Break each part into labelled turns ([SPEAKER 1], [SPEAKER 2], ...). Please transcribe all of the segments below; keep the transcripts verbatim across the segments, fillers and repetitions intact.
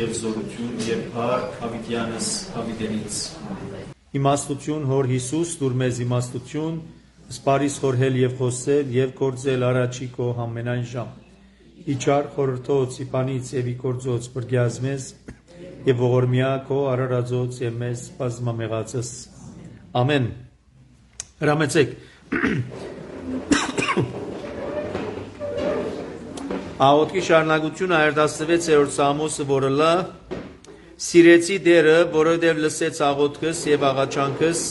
[SPEAKER 1] Եվ զորություն եւ փառք Հավիտյանս Հավիտենից։
[SPEAKER 2] Իմաստություն հոր Հիսուս դուր մեզ իմաստություն, սպարիս խորհել եւ խոսել եւ գործել առաջի քո ամենայն ժամ։ Իջար խորհրդոց իպանից եւ իգործոց բրգյազ մեզ եւ ողորմյա քո արարածոց եւ մեզ բազմամեղածս։ Ամեն։ Հրամեցեք։ Աղոթքի շարունակությունը հարյուրտասնվեցերորդ Սամոսը, որը լա սիրեցի դերը, որովհետև լսեց աղոթքս եւ աղաչանքս,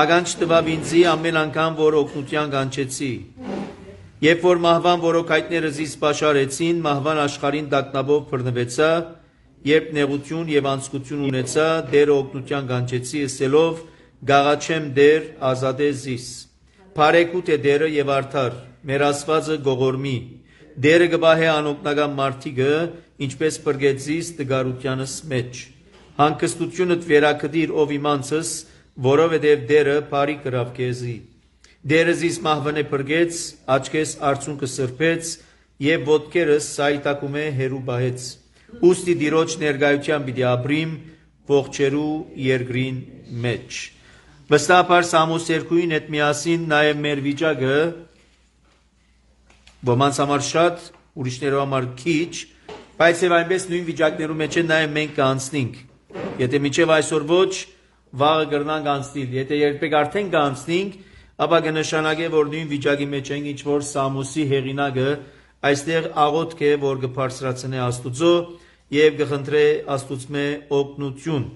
[SPEAKER 2] ականջ տվավ ինձի ամեն անգամ, որ օգնության կանչեցի։ Երբ որ մահվան որոքայտները զիս պաշարեցին, մահվան աշխարհին դակնաբով բռնվեցա, երբ նեղություն եւ անձկություն ունեցա, դերը օգնության կանչեցի, ասելով գաղաչեմ դեր, ազատե զիս։ Փարեքուտ է դերը եւ արդար, մեր Աստվածը գողորմի։ Դերը գբահե անօգնական մարդիկը, ինչպես բրգեցիս տգարությանս մեջ։ Հանգստությունդ վերակդիր ով իմանցս, որովհետև դերը բարի կրավ քեզի։ Դերը զիս մահվնե բրգեց, աչքես արցունքը սրբեց, եւ ոտքերս սայտակում է հերու բահեց։ Ուստի դիրոջ ներգայության պիտի ապրիմ ողջերու երկրին մեջ։ Վստահաբար Սամոս երկուին հետ միասին նաեւ մեր վիճակը ոմանց համար շատ, ուրիշներու համար քիչ, բայց եւ այնպես նույն վիճակներու մեջ է նաեւ մենք կանցնենք։ Եթե միջև այսօր ոչ, վաղը կրնանք անցնել։ Եթե երբեք արդեն կանցնենք, ապա կնշանակե, որ նույն վիճակի մեջ ենք, ինչ որ Սամոսի հեղինակը այստեղ աղոթք է, որ կբարձրացնե Աստուծո եւ կխնդրե Աստուծմե օգնություն։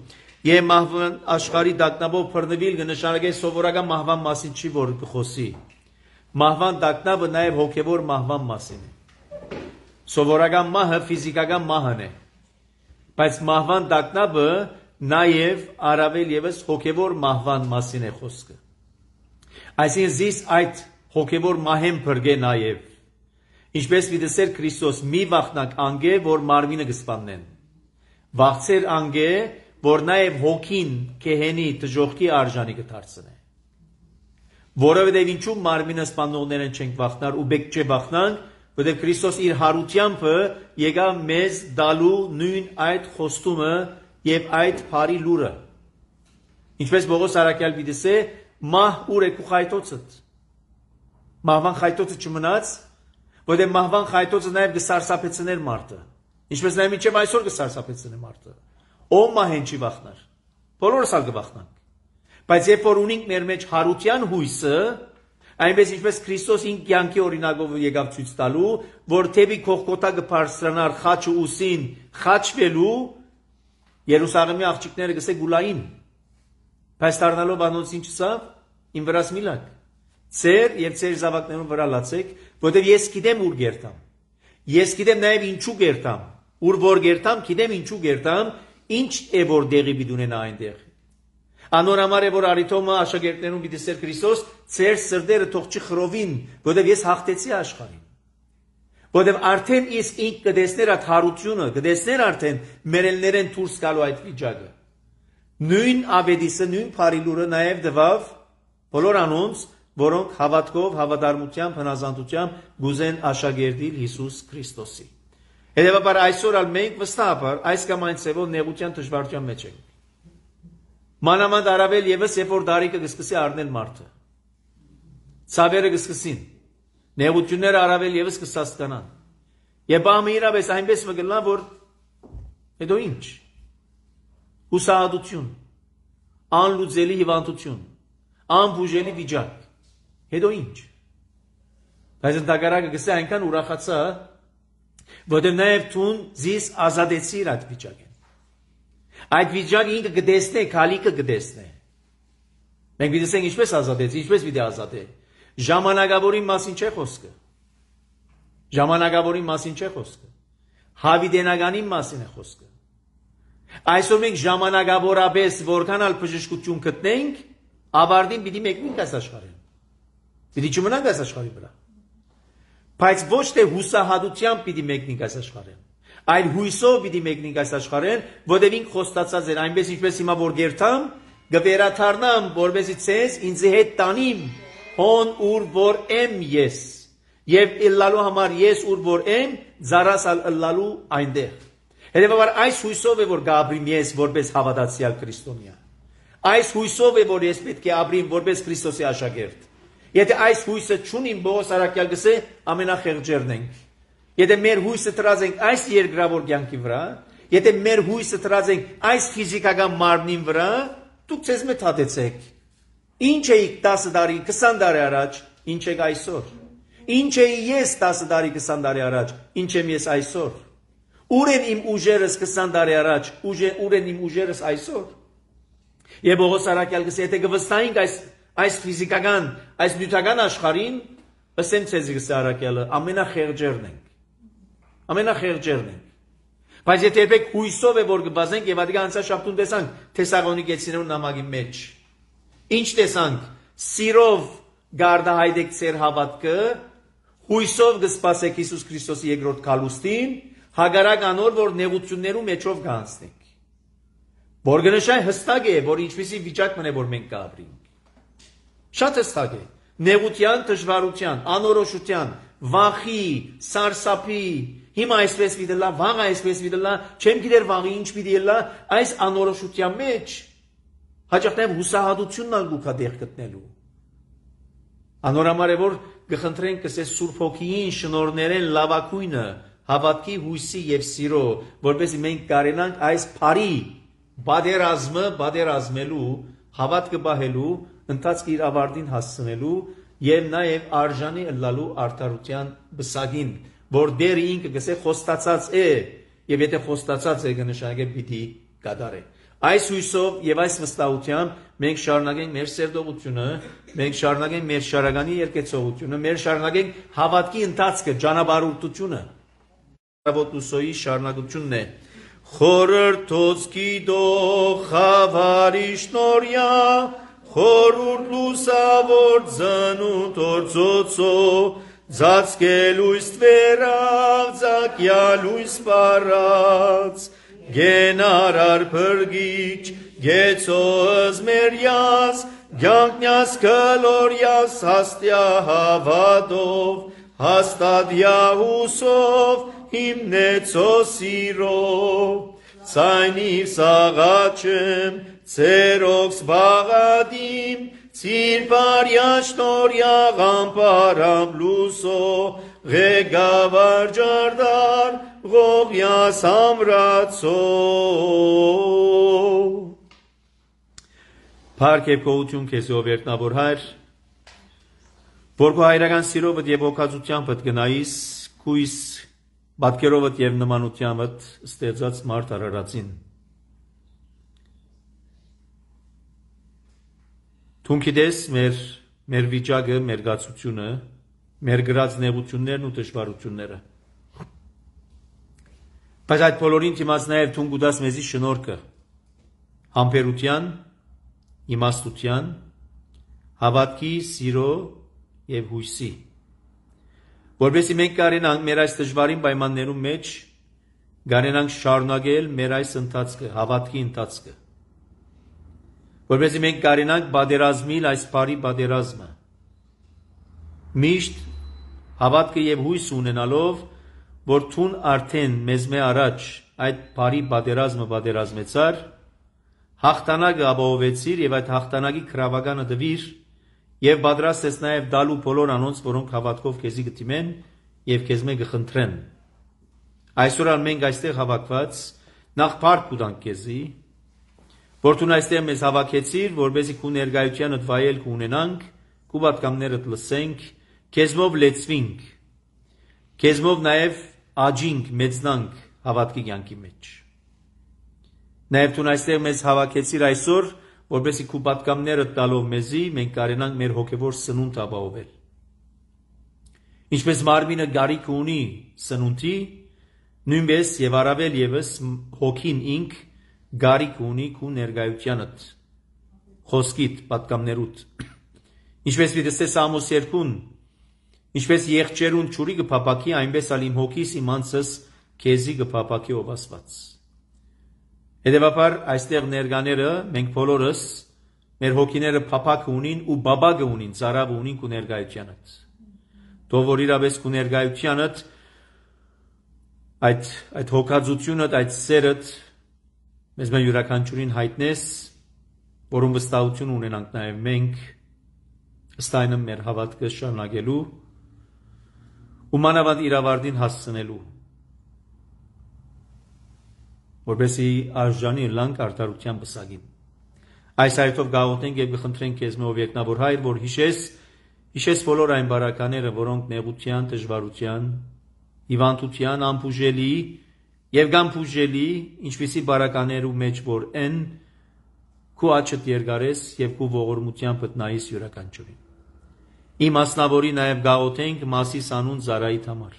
[SPEAKER 2] Եվ մահվան աշխարհի դակնաբով բռնվել կնշանակե սովորական մահվան մասին չի, որ կխոսի։ Մահվան դակնաբը նաև հոգևոր մահվան մասին է։ Սովորական մահը ֆիզիկական մահն է, բայց մահվան դակնաբը նաև առավել եւս հոգևոր մահվան մասին է խոսքը։ Այսինքն զիս այդ հոգևոր մահեն բրգե նաև, ինչպես վիդեսեր Քրիստոս մի վախնակ անգե, որ մարմինը կսպաննեն։ Վախցեր անգե, որ նաև հոգին կեհենի դժողքի արժանի կդարձնե։ Որովհետև ինչու մարմինը սպանողներն չենք վախնար ու բեք չէ վախնանք, որովհետև Քրիստոս իր հարությամբ եկավ մեզ դալու նույն այդ խոստումը եւ այդ բարի լուրը։ Ինչպես Պողոս Արաքյալ պիտի մահ ուր է քու խայտոցդ։ Մահվան խայտոցը չմնաց, որովհետև մահվան խայտոցը նաեւ կսարսափեցներ մարդը։ Ինչպես նաեւ մինչեւ այսօր կսարսափեցնե մարդը։ Ով մահեն չի վախնար։ Բոլորս ալ կվախնանք։ Բայց երբ որ ունենք մեր մեջ հարության հույսը, այնպես ինչպես Քրիստոս ինք կյանքի օրինակով եկավ ցույց տալու, որ թեպի քողկոտա կբարձրանար խաչը ուսին խաչվելու, Երուսաղեմի աղջիկները գսե գուլային։ Բայց դառնալով անոնց ինչ ասավ, իմ վրաս մի լաք։ Ձեր եւ ձեր զավակներուն վրա լացեք, որովհետեւ ես գիտեմ ուր գերտամ։ Ես գիտեմ նաեւ ինչու գերտամ։ Ուր որ գերտամ, գիտեմ ինչու գերտամ, ինչ է որ դեղի պիտի ունենա այնտեղ։ Անոր համար է որ արիթոմը աշակերտներուն պիտի սեր Քրիստոս, ձեր սրտերը թող չխրովին, որովհետև ես հաղթեցի աշխարհին։ Որովհետև արդեն իսկ ինք կդեսներ այդ հարությունը, կդեսներ արդեն մերելներեն դուրս գալու այդ վիճակը։ Նույն ավետիսը, նույն բարի լուրը նաև դվավ բոլոր անոնց, որոնք հավատքով, հավատարմությամբ, հնազանդությամբ գուզեն աշակերտել Հիսուս Քրիստոսի։ Հետևաբար այսօր ալ մենք վստահաբար այս կամ այն ծևով նեղության դժվարության մեջ ենք։ Մանավանդ առավել եւս երբ որ դարիքը կսկսի առնել մարդը։ Ցավերը կսկսին։ Նեղությունները առավել եւս կսաստանան։ Եվ բամը իրավես այնպես մգլա, որ հետո ինչ։ Հուսահատություն, անլուծելի հիվանդություն, անբուժելի վիճակ։ Հետո ինչ։ Բայց ընդհակառակը գսե այնքան ուրախացա, որտեղ նաև տուն զիս ազատեցիր այդ վիճակը։ Այդ վիճակը ինքը կդեսնե, քալիկը կդեսնե։ Մենք պիտի ասենք ինչպես ազատեցի, ինչպես պիտի ազատե։ Ժամանակավորի մասին չէ խոսքը։ Ժամանակավորի մասին չէ խոսքը։ Հավիտենականի մասին է խոսքը։ Այսօր մենք ժամանակավորապես որքան ալ բժշկություն գտնենք, ավարտին պիտի մեկնենք այս աշխարհին։ Պիտի չմնանք այս աշխարհի վրա։ Բայց ոչ թե հուսահատությամբ պիտի մեկնենք այս աշխարհին, այլ հույսով պիտի մեկնենք այս աշխարհին, որտեղ ինք խոստացած էր այնպես ինչպես հիմա որ գերտամ, գվերաթարնամ, որբեսի ցես ինձ հետ տանիմ, հոն ուր որ եմ ես, եւ ըլլալու համար ես ուր որ եմ, զարասալ ըլլալու այնտեղ։ Հետևաբար այս հույսով է որ գաբրիմ ես որպես հավատացյալ քրիստոնյա։ Այս հույսով է որ ես պետք է ապրիմ որպես Քրիստոսի աշակերտ։ Եթե այս հույսը չունիմ, Պողոս առաքյալ գսե ամենախեղճերն ենք։ Եթե մեր հույսը տրած ենք այս երկրավոր կյանքի վրա, եթե մեր հույսը տրած ենք այս ֆիզիկական մարմնին վրա, դուք ցեզ մեծ հատեցեք։ Ինչ էիք տասը տարի, քսան տարի առաջ, ինչ եք այսօր։ Ինչ էի ես տասը տարի, քսան տարի առաջ, ինչ եմ ես այսօր։ Ուր են իմ ուժերս քսան տարի առաջ, ուր են իմ ուժերս այսօր։ Եվ Պողոս առաքյալ գսե եթե կվստահենք այս այս ֆիզիկական, այս նյութական աշխարհին, ըսեմ ցեզ գսե առաքյալը, ամենախեղճերն ենք։ Ամենախեղճերն ենք։ Բայց եթե երբեք հույսով է որ կբազենք եւ ադիգա անցած շաբթուն տեսանք Թեսաղոնիկեցիներու նամակի մեջ։ Ինչ տեսանք։ Սիրով գարդահայտեք ձեր հավատքը, հույսով կսպասեք Հիսուս Քրիստոսի երկրորդ քալուստին, հագարակ անոր որ նեղություններու մեջով կանցնենք։ Որ գնշայ հստակ է, որ ինչպիսի վիճակ մնե որ մենք կապրենք։ Շատ հստակ է։ Նեղության, դժվարության, անորոշության, վախի, սարսափի, հիմա այսպես վիդելա, վաղ այսպես վիդելա, չեմ գիտեր վաղի ինչ պիտի ելա, այս անորոշության մեջ հաճախ նաև հուսահատությունն ալ գուքա դեղ գտնելու։ Անորամար է որ գխնդրենք կսես Սուրբ Հոգիին շնորհներեն լավակույնը, հավատքի, հույսի եւ սիրո, որպեսզի մենք կարենանք այս բարի բادرազմը, բادرազմելու, հավատքը բահելու, ընթացքի իր ավարտին հասցնելու եւ նաեւ արժանի ըլլալու արդարության բսագին, որ դեր ինքը գսե խոստացած է, եւ եթե խոստացած է կնշանակե պիտի կատարե։ Այս հույսով եւ այս վստահությամբ մենք շարունակենք մեր սերտողությունը, մենք շարունակենք մեր շարականի երկեցողությունը, մեր շարունակենք հավատքի ընթացքը, ճանապարհորդությունը։ Հավատուսոյի շարունակությունն է։ Խորհրդոց գիտող խավարի շնորհյա, խորուրդ լուսավոր ծնունդ օրծոցո, ծածկել ույս տվերավ, ծակյա լույս պարած, գենարար փրգիչ, գեցոզ մերյաս, գյանքնյաս կլորյաս հաստյա հավատով, հաստադյա հուսով, հիմնեցո սիրով, ցայնիվ սաղաչեմ, ցերոքս բաղադիմ, Ցիրպարյա շնորհյա գամպարամ լուսո, ղեկավար ջարդար, ղողյաս ամրացո։ Փառք եւ գոհություն քեզ ով երտնավոր հայր, որ քո հայրական սիրովդ եւ օգացությանդ գնայիս, քույս բատկերովդ եւ նմանությանդ ստեղծած մարդ արարածին։ Թուն գիտես մեր մեր վիճակը, մեր գացությունը, մեր գրած նեղություններն ու դժվարությունները։ Բայց այդ բոլորին դիմաց նաև թուն գուտաս մեզի շնորհքը, համբերության, իմաստության, հավատքի, սիրո եւ հույսի։ Որովհետեւ մենք կարենանք մեր այս դժվարին պայմաններում մեջ կարենանք շարունակել մեր այս ընթացքը, հավատքի ընթացքը։ Որպեսզի մենք կարենանք բادرազմիլ այս բարի բادرազմը։ Միշտ հավատքը եւ հույս ունենալով, որ թուն արդեն մեզ մե առաջ այդ բարի բادرազմը բادرազմեցար, հաղթանակը ապահովեցիր եւ այդ հաղթանակի քրավականը դվիր եւ պատրաստ ես նաեւ դալու բոլոր անոնց, որոնք հավատքով քեզի գտիմեն եւ քեզ մե գխնդրեն։ Այսօր մենք այստեղ հավաքված նախ փառք կուտանք քեզի, որ դու այստեղ մեզ հավաքեցիր, որպեսզի քու ներկայությանդ վայել կունենանք, քու պատկամներդ լսենք, քեզմով լեցվինք, քեզմով նաև աճինք, մեծնանք հավատքի կյանքի մեջ։ Նաև դու այստեղ մեզ հավաքեցիր այսօր, որպեսզի քու պատկամներդ տալով մեզի, մենք կարենանք մեր հոգևոր սնունդ ապահովել։ Ինչպես մարմինը գարիք ունի սնունդի, նույնպես եւ առավել եւս հոգին ինք գարիք ունի քու ներկայությանդ, խոսքիդ, պատկամներուդ։ Ինչպես վիդստես Ամոս երկուն, ինչպես եղջերուն ճուրի կփապակի, այնպես ալ իմ հոգիս իմ անձս քեզի կփապակի ով Աստված։ Հետևաբար այստեղ ներկաները մենք բոլորս մեր հոգիները փափակը ունին ու բաբագը ունին, ծարավը ունին քու ներկայությանդ։ Թող որ իրավես քու ներկայությանդ այդ այդ հոգածությունդ, այդ սերդ մեզ մեր յուրաքանչյուրին հայտնես, որում վստահություն ունենանք նաև մենք ըստ այնը մեր հավատքը շարունակելու ու մանավանդ իրավարտին հասցնելու, որպեսզի արժանի լանք արդարության պսակին։ Այս հայտով գաղութենք եւ կխնդրենք քեզ մով երկնավոր Հայր, որ հիշես, հիշես բոլոր այն բարակաները, որոնք նեղության, դժվարության, հիվանդության, անփուժելի եւ գամփուժելի, ինչպիսի բարականերու մեջ որ են, քու աչքդ երկարես եւ քու ողորմությամբ տնայիս յուրաքանչյուրին։ Իմ մասնավորի նաև գաղութենք Մասիս անուն Զարայիդ համար։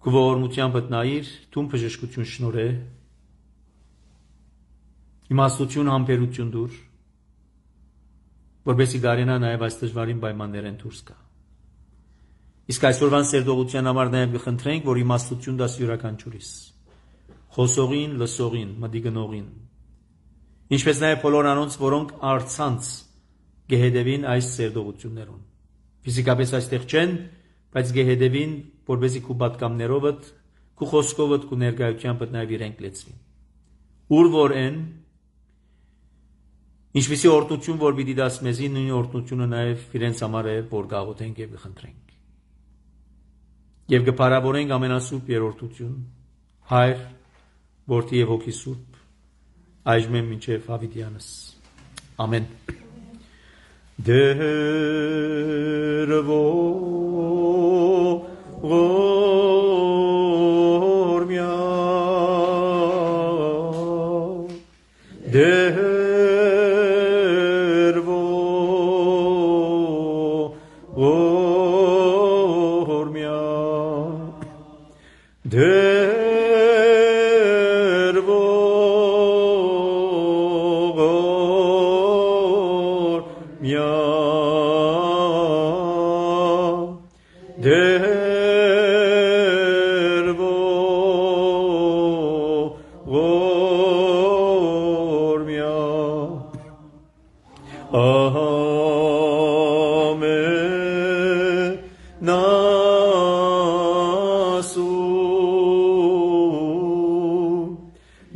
[SPEAKER 2] Քու ողորմությամբ տնայիր, թուն բժշկություն շնորհե, իմաստություն համբերություն դուր, որպեսզի գարենա նաև այս դժվարին պայմաններեն դուրս գա։ Իսկ այսօրվան սերտողության համար նաև կխնդրենք, որ իմաստություն դաս յուրաքանչյուրիս, խոսողին, լսողին, մտիգնողին, ինչպես նաև բոլոր անոնց, որոնք արցանց գեհեդևին այս սերտողություններուն։ Ֆիզիկապես այստեղ չեն, բայց գեհեդևին, որպեսզի քու պատկամներովդ, քու խոսքովդ, քու ներկայությամբ նաև իրենք լեցվին։ Ուր որ են, ինչպիսի օրհնություն, որ պիտի դաս մեզի, նույն օրհնությունը նաև իրենց համար է, որ գաղութենք եւ կխնդրենք։ Եվ կփարավորենք ամենասուրբ երրորդություն, Հայր, Որդի եւ Հոգի Սուրբ, այժմ մինչև հավիտյանս։ Ամեն։ Դերվո ղորմյա դերվո ղորմյա դերվո ղորմյա դերվո ղորմյա ամեն ասու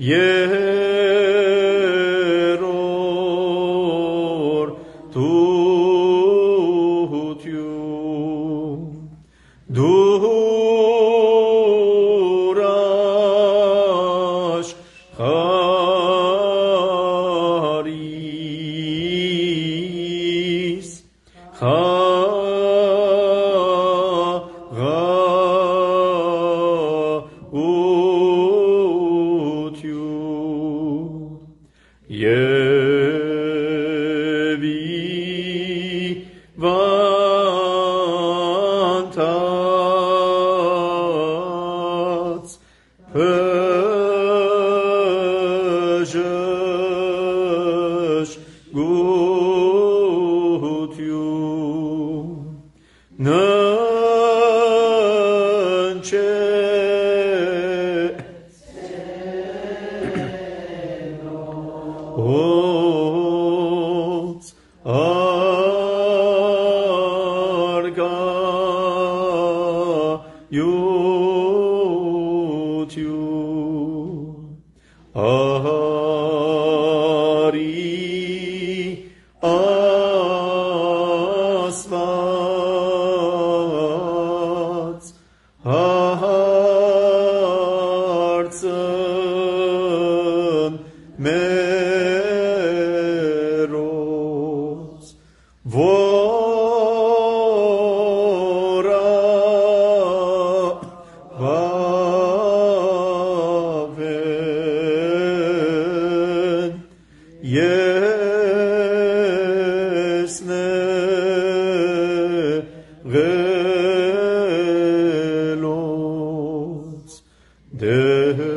[SPEAKER 2] երրորդություն դուրաշ խարիս խաղաղություն եւ վանտած բժշկություն ննչե Ոնց արգայություն արի ասված հարցն մերոց որա վավեն եսնեղելոց դևո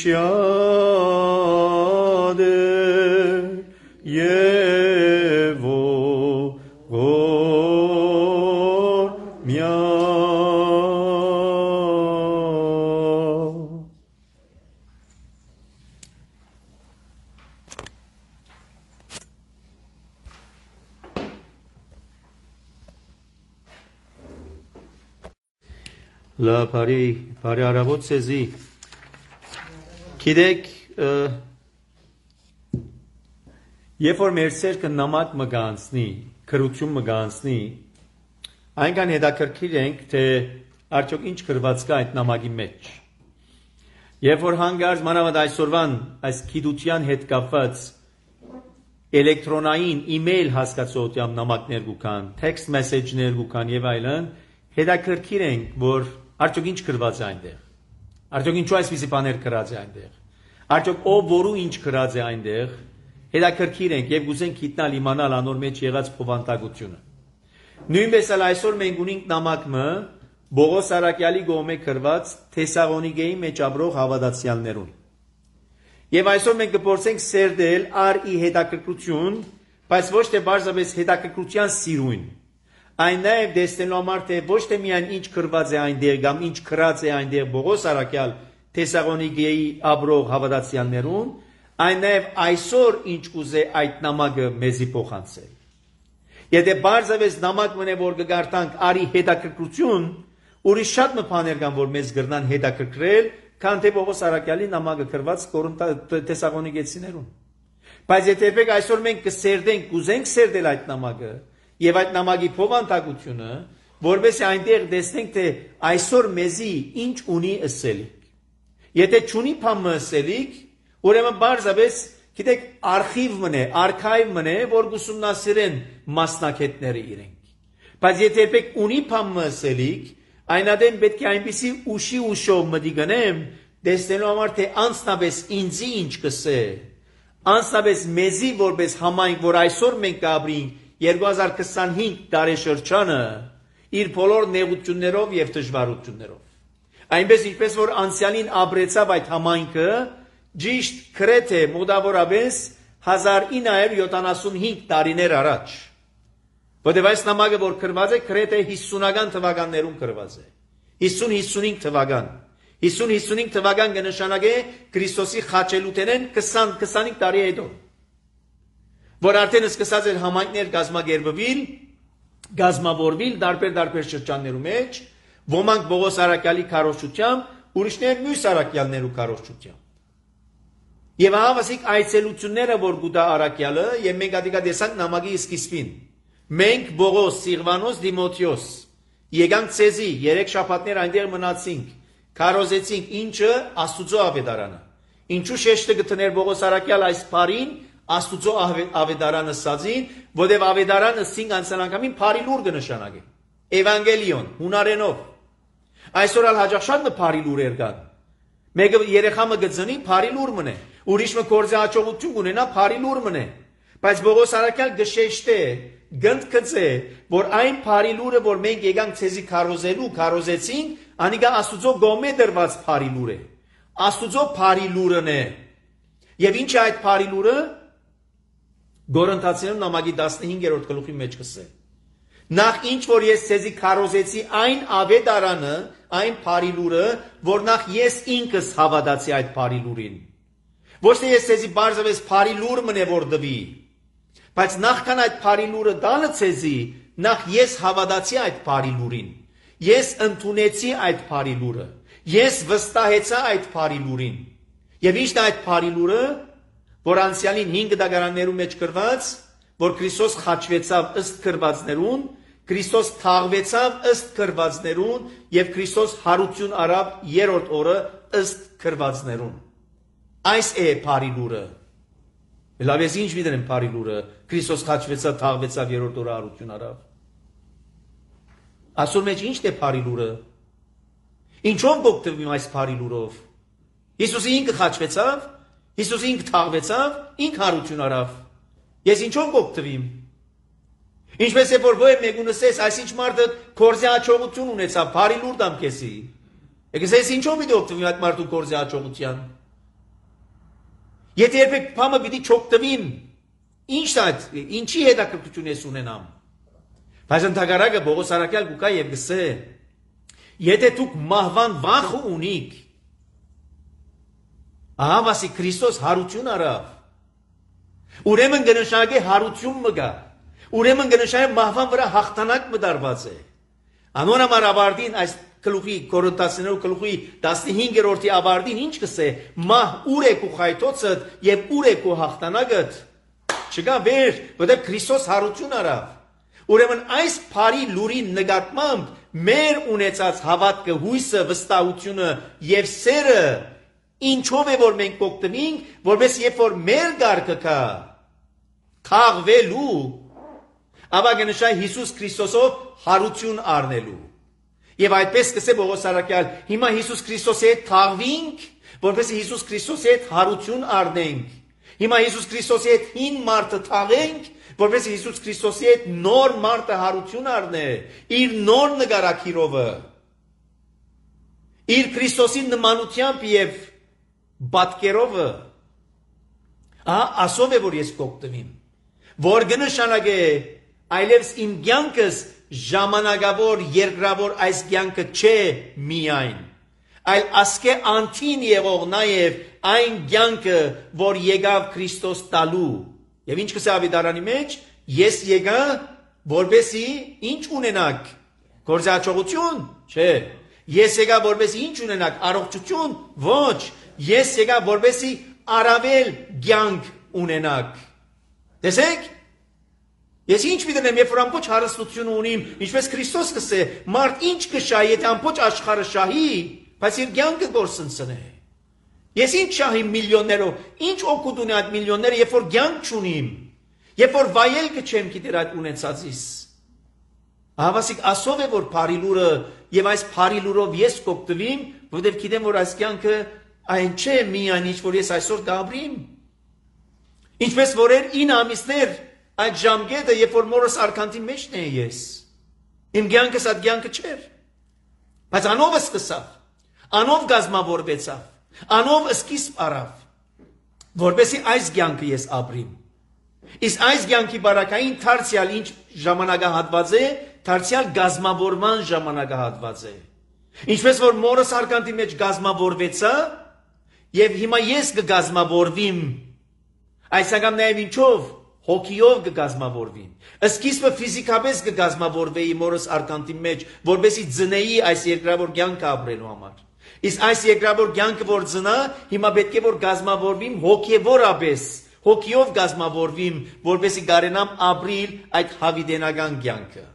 [SPEAKER 2] Շադեր եւ ողորմյա Լա բարի բարի արավոտ ցեզի Գիտեք երբ որ մեր սերքը նամակ մը գանցնի քրություն մը գանցնի այնքան հետաքրքիր ենք թե արդյոք ինչ գրված կա այդ նամակի մեջ երբ որ հանգարց մանավանդ այսօրվան այս գիտության հետ կապված էլեկտրոնային email հասկացողությամբ նամակներ կան text message-ներ կան եւ այլն հետաքրքիր ենք որ արդյոք ինչ գրված է այնտեղ արդյոք ինչու այսպիսի բաներ գրած է այնտեղ արդյոք ով որու ինչ գրած է այնտեղ հետաքրքիր ենք եւ գուզենք գիտնալ իմանալ անոր մեջ եղած փոխանցագությունը նույնպես էլ այսօր մենք ունենք նամակը Բողոս Արաքյալի գոմե գրված Թեսաղոնիկեի մեջ ապրող հավատացյալներուն եւ այսօր մենք կփորձենք սերդել առ ի հետաքրքրություն բայց ոչ թե բարձրապես հետաքրքրության սիրուն Այն նաև դեսնելու համար թե ոչ թե միայն ինչ գրված է այնտեղ կամ ինչ գրած է այնտեղ Բողոս Արաքյալ Թեսաղոնիկեի ապրող հավատացյալներուն, այն նաև այսօր ինչ կուզե այդ նամակը մեզի փոխանցել։ Եթե բարձրապես նամակ մնե որ կգարտանք արի հետաքրքրություն, ուրիշ շատ բաներ կան որ մեզ գրնան հետաքրքրել, քան թե Բողոս Արաքյալի նամակը գրված Թեսաղոնիկեցիներուն։ Բայց եթե այսօր մենք կսերդենք, կուզենք սերդել այդ նամակը Եվ այդ նամակի փոխանցությունը, որովհետեւ այնտեղ տեսնենք թե այսօր մեզի ինչ ունի ըսելիք։ Եթե չունի բան ըսելիք, ուրեմն բարձրապես, գիտեք, արխիվ մնե, արխիվ մնե, որ գուսումնասիրեն մասնակիցները իրենք։ Բայց եթե երբեք ունի բան ըսելիք, այնադեմ պետք է այնպեսի ուշի ուշով մտի գնեմ, տեսնելու համար թե անձնապես ինձի ինչ կսե, անձնապես մեզի որպես համայնք, որ այսօր մենք կապրենք երկու հազար քսանհինգ տարեշրջանը իր բոլոր նեղություններով եւ դժվարություններով այնպես ինչպես որ անցյալին ապրեցավ այդ համայնքը ճիշտ գրեթե մոտավորապես հազար ինը հարյուր յոթանասունհինգ տարիներ առաջ որտեղ այս նամակը որ գրված է գրեթե հիսունական թվականներում գրված է հիսուն հիսունհինգ թվական հիսուն հիսունհինգ թվական կնշանակե Քրիստոսի խաչելութենեն քսան քսանհինգ տարի հետո որ արդեն սկսած էր համայնքներ գազմագերբվել, գազմավորվել դարբեր-դարբեր շրջաններու մեջ, ոմանք Բողոս Արաքյալի քարոզչությամբ, ուրիշներ մյուս Արաքյալներու քարոզչությամբ։ Եվ հավասիկ այցելությունները, որ գուտա Արաքյալը, եւ մենք ադիկա տեսանք նամակի սկիզբին։ Մենք Բողոս, Սիղվանոս, Դիմոթեոս եկանք ցեզի, երեք շաբաթներ այնտեղ մնացինք, քարոզեցինք ինչը Աստուծո ավետարանը։ Ինչու շեշտը գտներ Բողոս Արաքյալ այս բարին Աստուծո ավետարանը սածին, որտեղ ավետարանը սինգ անցանակամին բարի լուր կնշանակի։ Էվանգելիոն, հունարենով։ Այսօր ալ հաջող շատ բարի լուրեր կան։ Մեկը երեխամը գծնի բարի լուր մնե, ուրիշը կորձի հաջողություն ունենա բարի լուր մնե։ Բայց Բողոս Արաքյալ գշեշտե, գնդկծե, որ այն բարի լուրը, որ մենք եկանք ցեզի քարոզելու, քարոզեցինք, անիկա Աստուծո գոմե դրված բարի լուր է։ Աստուծո բարի լուրն է։ Եվ ինչ է այդ բարի լուրը Գորընթացիներուն նամակի տասնհինգերորդ գլուխի մեջ կսե։ Նախ ինչ որ ես ցեզի քարոզեցի այն ավետարանը, այն բարի լուրը, որ նախ ես ինքս հավատացի այդ բարի լուրին։ Ոչ թե ես ցեզի բարձրապես բարի լուր մնե որ դվի, բայց նախքան այդ բարի լուրը տալը ցեզի, նախ ես հավատացի այդ բարի լուրին։ Ես ընդունեցի այդ բարի լուրը։ Ես վստահեցա այդ բարի լուրին։ Եվ ի՞նչն է այդ բարի լուրը, որ անցյալին հինգ դագարաններու մեջ գրված, որ Քրիստոս խաչվեցավ ըստ գրվածներուն, Քրիստոս թաղվեցավ ըստ գրվածներուն եւ Քրիստոս հարություն արավ երրորդ օրը ըստ գրվածներուն։ Այս է բարի լուրը։ Լավ ես ինչ վիդեն բարի լուրը, Քրիստոս խաչվեցավ, թաղվեցավ երրորդ օրը հարություն արավ։ Այսօր մեջ ի՞նչն է բարի լուրը։ Ինչով գոկտվում այս բարի լուրով։ Հիսուսը ինքը խաչվեցավ, Հիսուսը ինքը թաղվեցավ, ինքը հարություն արավ։ Ես ինչով գոկտվիմ։ Ինչպես է որ ոյ մեկունսես, այսինչ մարդը կորզի հաջողություն ունեցավ, բարի լուր դամ քեսի։ Եկես ես ինչով մի դոկտվիմ այդ մարդու կորզի հաջողության։ Եթե երբեք փամը պիտի չօգտվիմ, ինչ այդ, ինչի հետաքրքրություն ես ունենամ։ Բայց ընդհակառակը Պողոս առաքյալ կուկա եւ գսե, եթե դուք մահվան վախը ունիք, ահա վասի Քրիստոս հարություն արավ, ուրեմն կնշանակե հարություն մը գա, ուրեմն կնշանակե մահվան վրա հաղթանակ մը դարված է։ Անոր համար ավարտին այս գլուխի Կորինթացիներու գլուխի տասնհինգերորդի ավարտին ինչ կսե, մահ ուր է քո խայթոցդ եւ ուր է քո հաղթանակդ։ Չկա վեր, որտեղ Քրիստոս հարություն արավ։ Ուրեմն այս բարի լուրի նկատմամբ մեր ունեցած հավատքը, հույսը, վստահությունը եւ սերը ինչով է որ մենք կօգտվենք, որպես երբ որ մեր գարկը կա քաղվելու, ապա կնշա Հիսուս Քրիստոսով հարություն առնելու։ Եվ այդպես կսե Պողոս առաքյալ, հիմա Հիսուս Քրիստոսի հետ քաղվենք, որպես Հիսուս Քրիստոսի հետ հարություն առնենք։ Հիմա Հիսուս Քրիստոսի հետ հին մարդը թաղենք, որպես Հիսուս Քրիստոսի հետ նոր մարդը հարություն առնե, իր նոր նկարակիրովը, իր Քրիստոսի նմանությամբ եւ բատկերովը, ահա ասով է որ ես կօգտվեմ, որ կնշանակե այլևս իմ կյանքս ժամանակավոր երկրավոր այս կյանքը չէ միայն, այլ ասկե անթին եղող նաև այն կյանքը, որ եկավ Քրիստոս տալու։ Եվ ինչ կսե ավետարանի մեջ, ես եկա, որպեսի ինչ ունենաք, գործաչողություն, չէ, ես եկա, որպեսի ինչ ունենաք, առողջություն, ոչ, ես եկա, որպեսի առավել կյանք ունենաք։ Տեսեք, ես ինչ միտենեմ, երբ որ ամբողջ հարստություն ունիմ, ինչպես Քրիստոս կսե, մարդ ինչ կշահի, եթե ամբողջ աշխարհը շահի, բայց իր կյանքը գործընծնե։ Ես ինչ շահիմ միլիոններով, ինչ օգուտ ունի այդ միլիոնները, երբ որ կյանք չունիմ, երբ որ վայել կչեմ գիտեր այդ ունեցածիս։ Հավասիկ ասով է որ բարի լուրը եւ այս բարի լուրով ես կօգտվեմ, որովհետեւ գիտեմ որ այս կյանքը այն չէ միայն ինչ որ ես այսօր կապրիմ։ Ինչպես որ էր ինը ամիսներ այդ ժամկետը, երբ որ մորս արքանտի մեջն է ես։ Իմ կյանքս այդ կյանքը չէր։ Բայց անով սկսավ, անով գազմավորվեցավ, անով սկիզբ առավ, որպեսի այս կյանքը ես ապրիմ։ Իսկ այս կյանքի բարակային դարձյալ ինչ ժամանակահատված է, դարձյալ գազմավորման ժամանակահատված է։ Ինչպես որ մորս արքանտի մեջ գազմավորվեցա, եւ հիմա ես կգազմավորվիմ, այսինքն նաեւ ինչով հոգիով կգազմավորվին։ Սկիզբը ֆիզիկապես կգազմավորվեի մորս արքանտի մեջ, որպեսի ծնեի այս երկրավոր կյանքը ապրելու համար։ Իսկ այս երկրավոր կյանքը որ ծնա, հիմա պետք է որ գազմավորվիմ հոգեվորապես, հոգիով գազմավորվիմ, որպեսի կարենամ ապրիլ այդ հավիտենական կյանքը։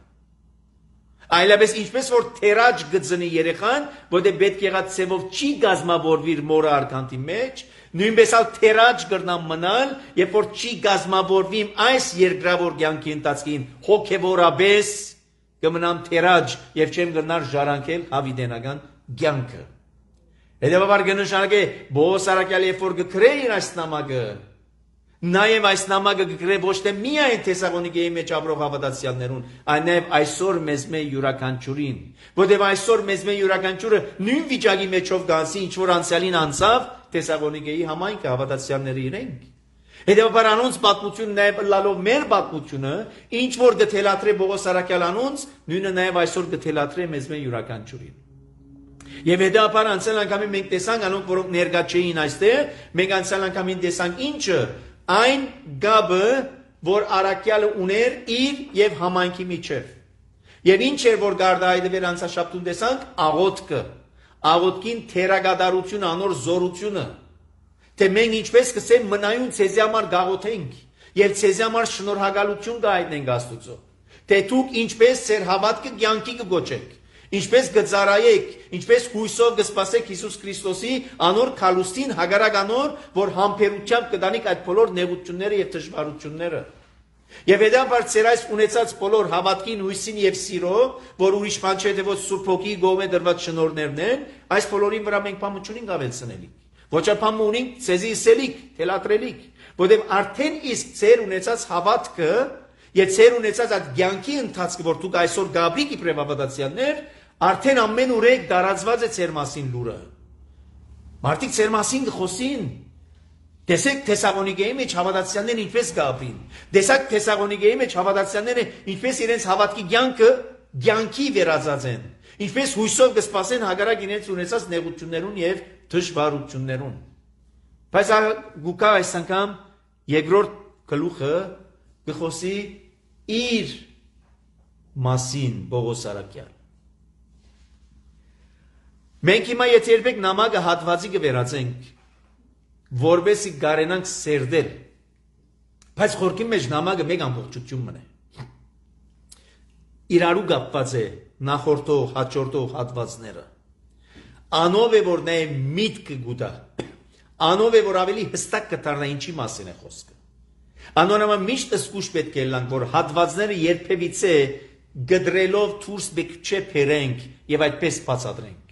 [SPEAKER 2] Այլապես ինչպես որ թերաջ գծնի երեխան, որտեղ պետք եղած ցևով չի գազմավորվիր մորը արքանտի մեջ, նույնպես ալ թերաջ կրնամ մնալ, երբ որ չի գազմավորվիմ այս երկրավոր կյանքի ընթացքին հոգևորապես կմնամ թերաջ եւ չեմ կրնար ժառանգել հավիտենական կյանքը։ Հետևաբար կնշանակե Պողոս առաքյալը երբ որ կգրեին այս նամակը, նաեւ այս նամակը կգրե ոչ թե միայն Թեսաղոնիկեի մեջ ապրող հավատացյալներուն, այլ նաեւ այսօր մեզ մե յուրաքանչյուրին, որտեղ այսօր մեզ մե յուրաքանչյուրը նույն վիճակի մեջով գանցի, ինչ որ անցյալին անցավ Թեսաղոնիկեի համայնքը հավատացյալները իրենք։ Հետևաբար անոնց պատմությունը նաեւ լալով մեր պատմությունը, ինչ որ գթելատրե Պողոս առաքյալ անոնց, նույնը նաեւ այսօր գթելատրե մեզ մե յուրաքանչյուրին։ Եվ հետապար անցյալ անգամին մենք տեսանք անոնք, որոնք ներկա չէին այստեղ, մենք անցյալ անգամին տեսանք ինչը, այն գաբը, որ առաքյալը ուներ իր եւ համայնքի միջև։ Եվ ինչ էր որ գարդայդվեր անցաշաբթուն տեսանք, աղոթքը, աղոթքին թերագադարությունը, անոր զորությունը, թե մենք ինչպես կսեմ մնայուն ցեզի համար գաղոթենք եւ ցեզի համար շնորհակալություն կհայտնենք Աստծո, թե դուք ինչպես ձեր հավատքը կյանքի կգոչեք, ինչպես կծառայեք, ինչպես հույսով կսպասեք Հիսուս Քրիստոսի անոր քալուստին հագարակ անոր, որ համբերությամբ կդանիք այդ բոլոր նեղությունները եւ դժվարությունները։ Եվ հետաբար ծեր այս ունեցած բոլոր հավատքին, հույսին եւ սիրո, որ ուրիշ բան չէ թե ոչ Սուրբ Հոգի գողմե դրված շնորհներն են, այս բոլորին վրա մենք բան չունենք ավելցնելիք։ Ոչ ապամ ունենք ցեզի սելիք, թելատրելիք, որովհետեւ արդեն իսկ ծեր ունեցած հավատքը եւ ծեր ունեցած այդ ցանկի ընթացքը, որ դուք այսօր գաբրիկ իբրև հավատացյալներ, արդեն ամեն ուրեք դարածված է ծեր մասին լուրը։ Մարդիկ ծեր մասին կխոսին, Տեսեք Թեսաղոնիկեի մեջ հավատացյալները ինչպես կապրին։ Տեսակ Թեսաղոնիկեի մեջ հավատացյալները ինչպես իրենց հավատքի կյանքը կյանքի վերածածեն։ Ինչպես հույսով կսպասեն հագարակ իրենց ունեցած նեղություններուն եւ դժվարություններուն։ Բայց գուկա այս անգամ երկրորդ գլուխը գխոսի իր մասին Պողոս Արաքյալ։ Մենք հիմա եթե երբեք նամակը հատվածի կվերածենք, որբեսի կարենանք սերդել, բայց խորքի մեջ նամակը մեկ ամբողջություն մնե։ Իրարու կապված է նախորդող, հաջորդող հատվածները։ Անով է, որ նա է միտքը գուտա, անով է, որ ավելի հստակ կտարնա ինչի մասին է խոսքը։ Անոնամա միշտ ըսկուշ պետք է լանք, որ հատվածները երբևիցե գդրելով թուրս բեք չէ փերենք և այդպես բացատրենք։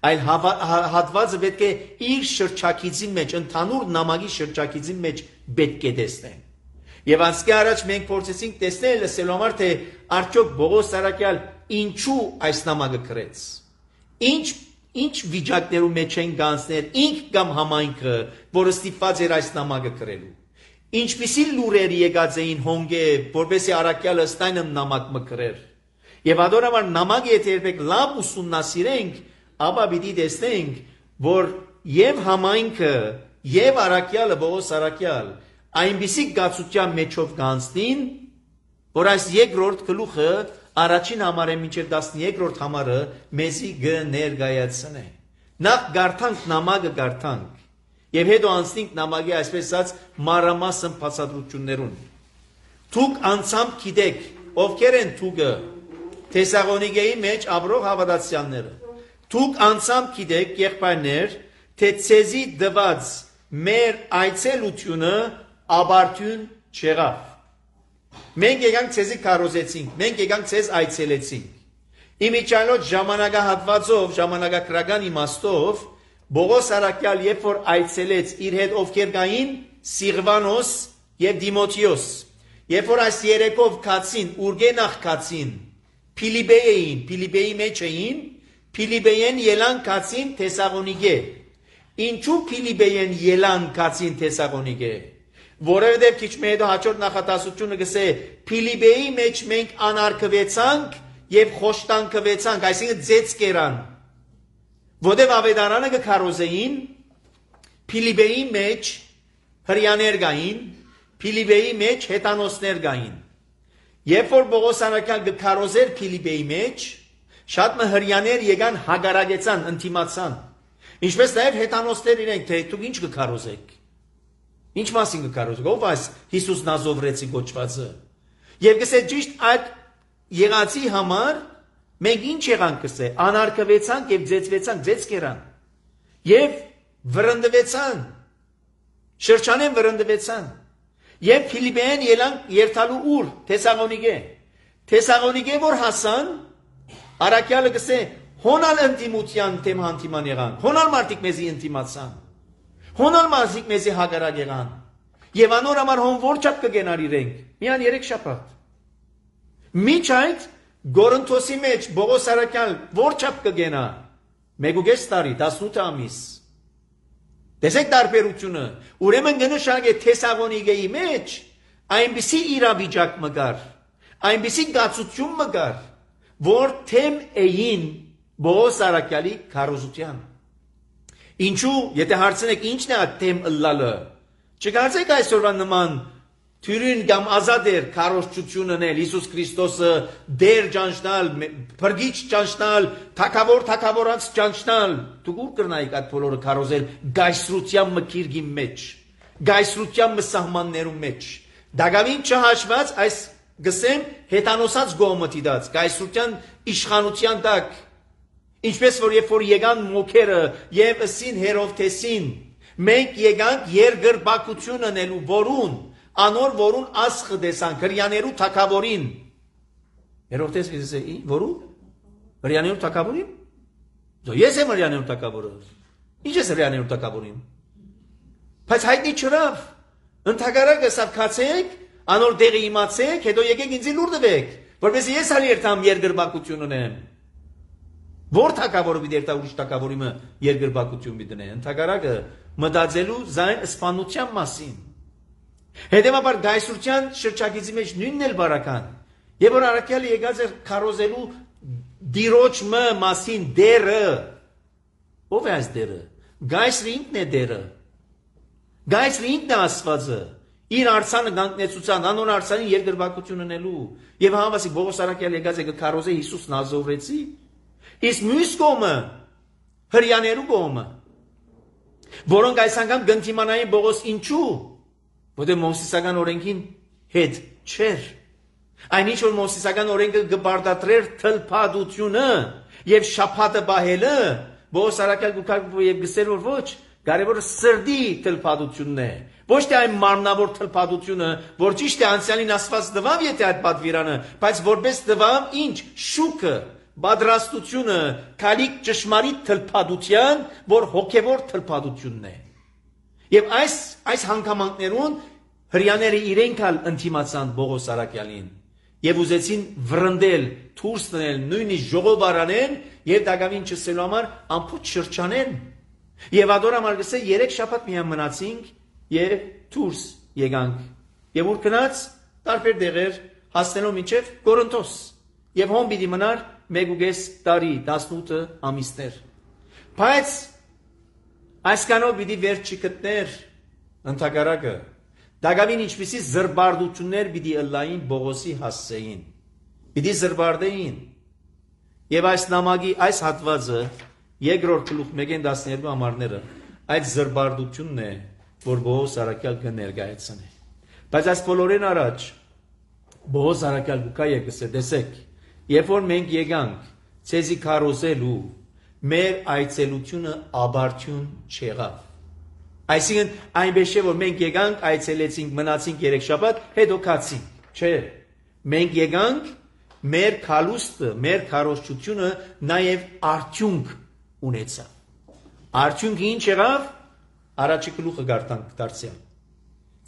[SPEAKER 2] Այլ հատվածը պետք է իր շրջակիցի մեջ, ընդհանուր նամակի շրջակիցի մեջ պետք է տեսնենք։ Եվ անցքի առաջ մենք փորձեցինք տեսնել լսելու համար, թե արդյոք Պողոս Արաքյալ ինչու այս նամակը գրեց։ Ինչ ինչ վիճակներում մեջ են գանցներ, ինք կամ համայնքը, որը ստիպված էր այս նամակը գրելու։ Ինչպիսի լուրեր եկած էին հոնգե, որպեսզի Արաքյալը ստայնը նամակ մկրեր։ Եվ adorաբար նամակը եթե երբեք լավ ուսումնասիրենք, ապա պիտի տեսնենք, որ եւ համայնքը, եւ Արաքյալը, Պողոս Արաքյալ, այնպիսի գացության մեջով կանցնին, որ այս երկրորդ գլուխը առաջին համարը մինչև տասներկրորդ համարը մեզի կներկայացնե։ Նախ գարթանք նամակը գարթանք, եւ հետո անցնենք նամակի այսպես ասած մանրամասն բացատրություններուն։ Դուք անցամբ գիտեք, ովքեր են դուքը Թեսաղոնիկեի մեջ ապրող հավատացյալները։ Դուք անցամբ գիտեք, եղբայրներ, թե ցեզի դված մեր այցելությունը աբարթյուն չեղավ։ Մենք եկանք ցեզի կարոզեցինք, մենք եկանք ցեզ այցելեցինք։ Իմիջիայլոց ժամանակահատվածով, ժամանակագրական իմաստով, Պողոս Արաքյալ երբ որ այցելեց իր հետ ովքեր կային Սիղվանոս եւ Դիմոթեոս, երբ որ այս երեքով կացին, ուրգենախ կացին, Փիլիպպեին, Փիլիպպեի մեջ էին, Փիլիպպեին ելան կացին Թեսաղոնիկե։ Ինչու Փիլիպպեին ելան կացին Թեսաղոնիկե։ Որովհետև քիչ մի հետո հաջորդ նախատասությունը գսե Փիլիպպեի մեջ մենք անարգվեցանք եւ խոշտանգվեցանք, այսինքն ձեծ կերան։ Որովհետև ավետարանը կքարոզեին Փիլիպպեի մեջ հրյաներ կային, Փիլիպպեի մեջ հետանոսներ կային։ Երբ որ Պողոս Արաքյալ կքարոզեր Փիլիպպեի մեջ, շատ մը հրյաներ եկան հագարագեցան, ընտիմացան։ Ինչպես նաև հետանոսներ իրենք, թե դուք ինչ կքարոզեք։ Ինչ մասին կքարոզեք, ով այս Հիսուս Նազովրեցի գոչվածը։ Եվ գսե ճիշտ այդ եղածի համար մենք ինչ եղանք գսե, անարգվեցանք եւ ձեծվեցանք, ձեծ կերան։ Եվ վրընդվեցան։ Շրջանեն վրընդվեցան։ Եվ Փիլիպպեին ելան երթալու ուր, Թեսաղոնիկե։ Թեսաղոնիկե որ հասան, Արաքյալը գսե հոնալ ընտիմության թեմ հանդիման եղան, հոնալ մարդիկ մեզի ընտիմացան, հոնալ մարդիկ մեզի հագարակ եղան, եւ անոր համար հոն որ չափ կգենար իրենք, միան երեք շաբաթ։ Միջ այդ Գորընթոսի մեջ Պողոս Արաքյալ որ չափ կգենա, մեկ տարի, տասնութ ամիս։ Տեսեք տարբերությունը, ուրեմն կնշանակե Թեսաղոնիկեի մեջ այնպիսի իրավիճակ մգար, այնպիսի գացություն մգար, որ թեմ էին Պողոս Արաքյալի քարոզության։ Ինչու, եթե հարցնեք ինչն է այդ թեմ ըլլալը, չկարծեք այսօրվա նման թյուրին կամ ազատեր քարոզչությունն էլ Հիսուս Քրիստոսը դեր ճանչնալ, փրկիչ ճանչնալ, թակավոր թակավորած ճանչնալ, դուք ուր կրնայիք այդ բոլորը քարոզել գայսրության մկիրգի մեջ, գայսրության մսահմաններու մեջ։ Դագավին չհաշված այս գսեմ հետանոսած գոմտի դած, գայսրության իշխանության տակ, ինչպես որ երբ որ եկան մոքերը եւ ըսին Հերովթեսին, մենք եկանք երգրբակություն անելու որուն, անոր որուն ասխը դեսանք, հրյաներու թակավորին։ Հերովթես գսե, որու? Հրյաներու թակավորին? Ես եմ հրյաներու թակավորը։ Ինչ ես հրյաներու թակավորին։ Բայց հայտնի չրավ, ընդհակարակը սավ կացեք, անոր դեղի իմացեք, հետո եկեք ինձի լուր տվեք, որպեսզի ես հալ երթամ երգրբակություն ունեմ։ Որ թակավորը մի դերտա ուրիշ թակավորի մը երկրբակություն մի դնե, ընդհակարակը մտածելու զայն սպանության մասին։ Հետևաբար գայսրության շրջագիծի մեջ նույնն էլ բարական։ Եվ որ առաքյալը եկած էր քարոզելու դիրոջ մը մասին դերը։ Ով է այս դերը։ Գայսրը ինքն է դերը։ Գայսրը ինքն է Աստվածը։ Իր արցանը գանտնեցության, անոն արցանին երկրբակություն ունելու։ Եվ համասի Բողոս առաքյալը եկած է քարոզե Հիսուս Նազովրեցի։ Իսկ մյուս կողմը հրյաներու կողմը, որոնք այս անգամ գնդիմանային Բողոս ինչու, որտեղ մովսիսական օրենքին հետ չէր։ Այնինչ որ մովսիսական օրենքը գբարդատրեր թլփադությունը եւ շաբաթը բահելը, Բողոս առաքյալ գուքարկվի եւ գսեր որ ոչ, կարևորը սրդի թլփադությունն է։ Ոչ թե այն մարմնավոր թլփադությունը, որ ճիշտ է անցյալին ասված դվավ եթե այդ պատվիրանը, բայց որպես դվավ ինչ շուկը Բադրաստությունը քալիք ճշմարիտ թլփադության, որ հոգևոր թլփադությունն է։ Եվ այս այս հանգամանքներուն հрьяաները իրենք ալ ընտիմացան Բողոս առաքյալին եւ ուզեցին վրընդել, թուրս տնել, նույնիսկ ժողովարանեն եւ դակավին չսելու համար ամփոփ շրջանեն։ Եվ ադորա մարգսե երեք շաբաթ միայն մնացինք եւ թուրս եկանք։ Եվ ուր գնաց տարբեր դեղեր հասնելով մինչեւ Կորինթոս։ Եվ հոն պիտի մնար մեկ տարի տասնութ ամիսներ։ Բայց այսքանով պիտի վերջ չգտներ ընդհակառակը։ Դակավին ինչպիսի զրբարդություններ պիտի ըլլային Բողոսի հասցեին։ Պիտի զրբարդեին։ Եվ այս նամակի այս հատվածը երկրորդ գլուխ մեկին տասներկու համարները այդ զրբարդությունն է, որ Բողոս առաքյալ կներկայացնի։ Բայց այս բոլորին առաջ Բողոս առաքյալ գուկա եկսե տեսեք, երբ որ մենք եկանք ցեզի քարոզելու մեր այցելությունը աբարթյուն չեղավ։ Այսինքն այնպես չէ որ մենք եկանք այցելեցինք մնացինք երեք շաբաթ հետո քացինք, չէ։ Մենք եկանք մեր քալուստը, մեր քարոզչությունը նաև արդյունք ունեցավ։ Արդյունքը ինչ եղավ։ Առաջի գլուխը գարտանք դարձյալ։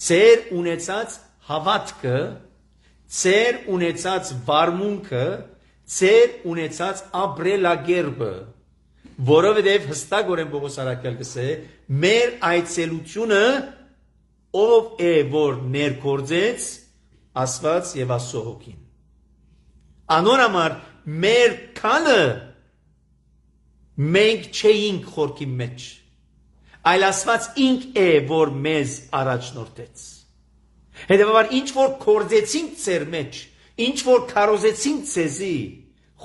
[SPEAKER 2] Ձեր ունեցած հավատքը, ձեր ունեցած վարմունքը, ձեր ունեցած ապրելակերպը, որովհետև հստակորեն Պողոս առաքյալ գսե մեր այցելությունը ով է որ ներկործեց Աստված եւ Աստծո հոգին։ Անոր համար մեր քանը մենք չէինք խորքի մեջ, այլ Աստված ինք է որ մեզ առաջնորդեց։ Հետևաբար ինչ որ կործեցինք ձեր մեջ, ինչ որ քարոզեցինք ձեզի,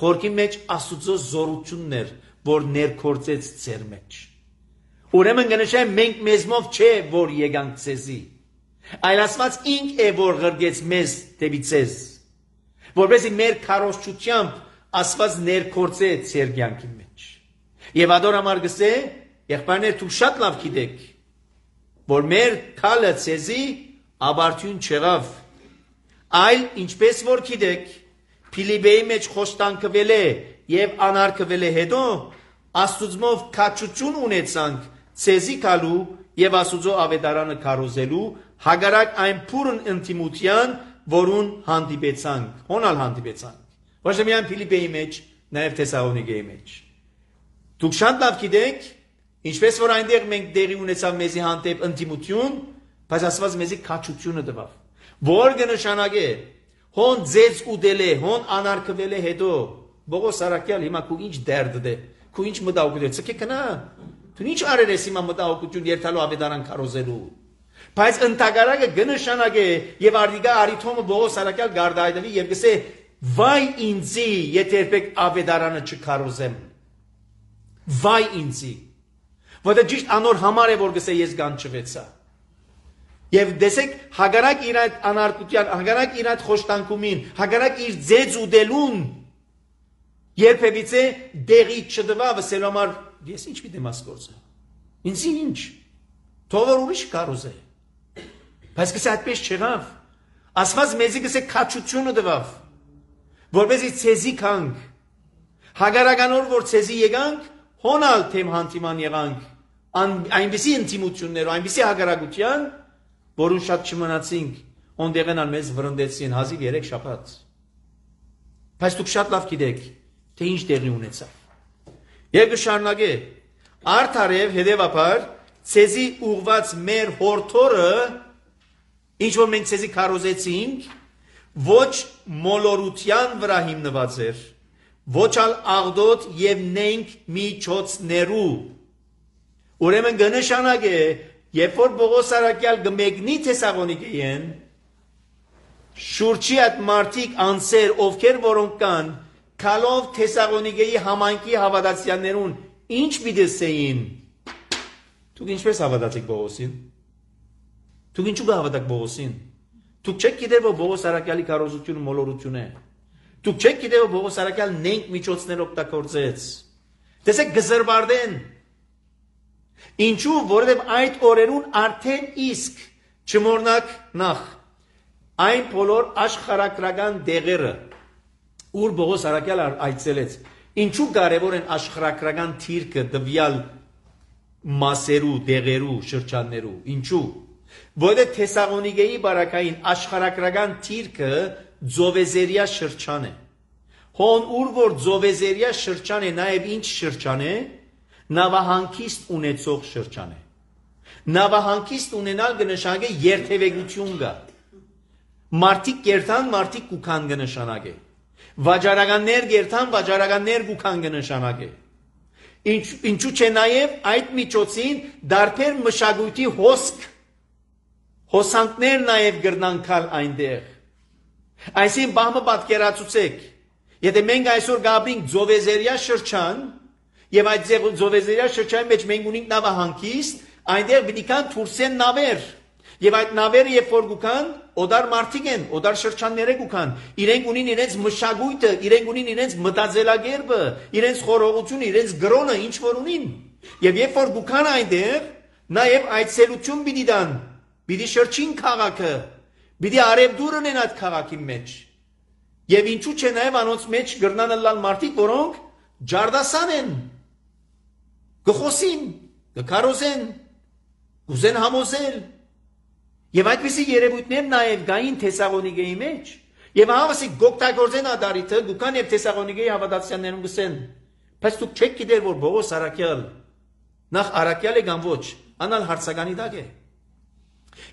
[SPEAKER 2] խորքի մեջ Աստուծո զորությունն էր, որ ներկործեց ձեր մեջ։ Ուրեմն գնշեմ մենք մեզմով չէ որ եկանք ձեզի, այլ Աստված ինք է որ ղրգեց մեզ դեպի ձեզ, որովհետեւ մեր քարոզչությամբ Աստված ներկործե ձեր կյանքի մեջ։ Եվ ադոր համար գսե, եղբայրներ դուք շատ լավ գիտեք, որ մեր քալը ձեզի աբարթյուն չեղավ, այլ ինչպես որ գիտեք, Փիլիպպեի մեջ խոստանքվել է եւ անարգվել է հետո Աստուծմով քաչություն ունեցանք ցեզի կալու եւ Աստուծո ավետարանը քարոզելու հագարակ այն փուրն ինտիմության, որուն հանդիպեցանք, հոնալ հանդիպեցանք։ Ոչ միայն Փիլիպպեի մեջ, նաեւ Թեսաղոնիկեի մեջ։ Դուք շատ լավ գիտեք, ինչպես որ այնտեղ մենք դերի ունեցավ մեզի հանդեպ ինտիմություն, բայց Աստված մեզի քաչությունը տվավ, որ կնշանակե հոն ձեզ ուդել է, հոն անարգվել է հետո, Բողոս առաքյալ հիմա քու ինչ դերդ դե, քու ինչ մտահոգություն է, ցկե կնա, դու ինչ արել ես հիմա մտահոգություն երթալու ավետարան քարոզելու, բայց ընդհակարակը կնշանակե եւ արդիկա արիթոմը Բողոս առաքյալ գարդայդվի եւ գսե վայ ինձի, եթե երբեք ավետարանը չքարոզեմ, վայ ինձի, որտեղ ճիշտ անոր համար է որ գսե ես գանչվեցա։ Եվ դեսեք հագարակ իր այդ անարգության, հագարակ իր այդ խոշտանկումին, հագարակ իր ձեզ ուդելուն, երբևիցե դեղի չդվա վսելու համար, ես ինչ պիտեմ ասկործը, ինձ ինչ, թողոր ուրիշ կարոզ է, բայց գսե այդպես չեղավ, ասված մեզի գսե կաչությունը դվավ, որպեսի ցեզի կանք, հագարականոր որ ցեզի եկանք, հոնալ թեմ հանտիման եղանք, այնպիսի ինտիմություններով, այնպիսի հագարակության, որուն շատ չմնացինք, ոնդեղենան մեզ վրընդեցին հազիվ երեք շաբաթ։ Բայց դուք շատ լավ գիտեք, թե ինչ տեղի ունեցավ։ Եվ կշարունակե արդարև հետևաբար ցեզի ուղված մեր հորթորը ինչ որ մենք ցեզի քարոզեցինք ոչ մոլորության վրա հիմնված էր ոչ ալ աղդոտ եւ նենք միջոցներու ուրեմն կնշանակե երբ որ Պողոս Արաքյալ գմեգնի Թեսաղոնիկեին շուրջի այդ մարդիկ անսեր ովքեր որոնք կան քալով Թեսաղոնիկեի համայնքի հավատացյալներուն ինչ պիտեսեին դուք ինչպես հավատացիք Պողոսին դուք ինչու կհավատաք Պողոսին դուք չեք գիտեր որ Պողոս Արաքյալի քարոզությունը մոլորություն է դուք չեք գիտեր որ Պողոս Արաքյալ նենք միջոցներ օգտագործեց տեսեք գզրբարդեն ինչու որովհետև այդ օրերուն արդեն իսկ չմոռնաք նախ այն բոլոր աշխարհակրական դեղերը ուր Պողոս Արաքյալը այցելեց ինչու կարևոր են աշխարհակրական թիրքը դվյալ մասերու դեղերու շրջաններու ինչու որովհետև Թեսաղոնիկեի բարակային աշխարհակրական թիրքը Ձովեզերիա շրջան է հոն ուր որ Ձովեզերիա շրջան է նաև ինչ շրջան է նավահանգիստ ունեցող շրջան է նավահանգիստ ունենալ կնշանակե երթևեկություն կա մարդիկ կերտան մարդիկ կուքան կնշանակե վաճառականներ կերտան վաճառականներ կուքան կնշանակե ինչ ինչու՞ չէ նաև այդ միջոցին դարբեր մշակույթի հոսք հոսանքներ նաև գրնանքալ այնտեղ այսին բամը պատկերացուցեք եթե մենք այսօր գաբրինք Ձովեզերիա շրջան եւ այդ Ձովեզերիա շրջանի մեջ մենք ունենք նավահանգիստ այնտեղ պիտի կան թուրքեն նավեր եւ այդ նավերը երբ որ գուքան օդար մարդիկ են օդար շրջանները գուքան իրենք ունին իրենց մշակույթը իրենք ունին իրենց մտածելակերպը իրենց խորհողությունը իրենց գրոնը ինչ որ ունին եւ երբ որ գուքան այնտեղ նաեւ այցելություն պիտի դան պիտի շրջին քաղաքը պիտի արևդուր ունեն այդ քաղաքի մեջ եւ ինչու՞ չէ նաեւ անոնց մեջ գրնան լալ մարդիկ որոնք ջարդասան են գխոսին գքարոզեն ուզեն համոզել եւ այդպիսի երևույթներ նաեւ գային Թեսաղոնիկեի մեջ եւ հավասի գոկտագործեն ադարիթը դուքան եւ Թեսաղոնիկեի հավատացյալներուն գսեն բայց դուք չեք գիտեր որ Պողոս Արաքյալ նախ Արաքյալը կամ ոչ անալ հարցականի դակ է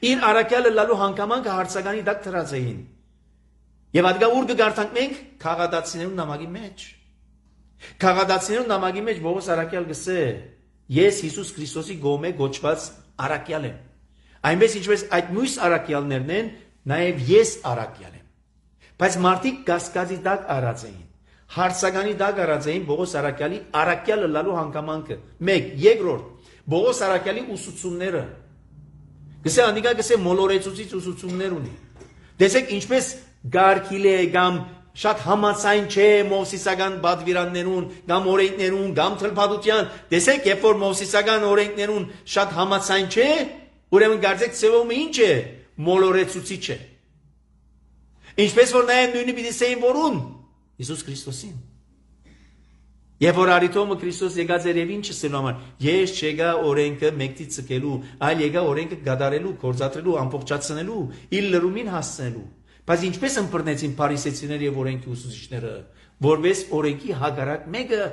[SPEAKER 2] իր Արաքյալը լալու հանգամանքը հարցականի դակ դրած էին եւ ադգա ուր կգարտանք մենք քաղաքացիներուն նամակի մեջ քաղաքացիներուն նամակի մեջ Պողոս Արաքյալ գսե ես Հիսուս Քրիստոսի գոմե գոչված Արաքյալ եմ այնպես ինչպես այդ մյուս Արաքյալներն են նաեւ ես Արաքյալ եմ բայց մարդիկ կասկածի դակ արած էին հարցականի դակ արած էին Պողոս Արաքյալի Արաքյալը լալու հանգամանքը մեկ երկրորդ Պողոս Արաքյալի ուսուցումները գսե անդիկա գսե մոլորեցուցիչ ուսուցումներ ունի տեսեք ինչպես գարկիլ է կամ շատ համացայն չէ մովսիսական բադվիրաններուն կամ օրենքներուն կամ թլփադության տեսեք երբ որ մովսիսական օրենքներուն շատ համացայն չէ ուրեմն գարձեք ծևոմը ինչ է մոլորեցուցիչ է ինչպես որ նաև նույնը պիտի սեին որուն Հիսուս Քրիստոսին երբ որ արիտոմը Քրիստոս եկած էր եւ ինչը սելու համար ես չեկա օրենքը մեկտի ցկելու այլ եկա օրենքը գդարելու կորզատրելու ամբողջացնելու իր լրումին հասցնելու բայց ինչպես ըմբռնեցին փարիսեցիները եւ օրենքի ուսուցիչները որպես օրենքի հագարակ մեկը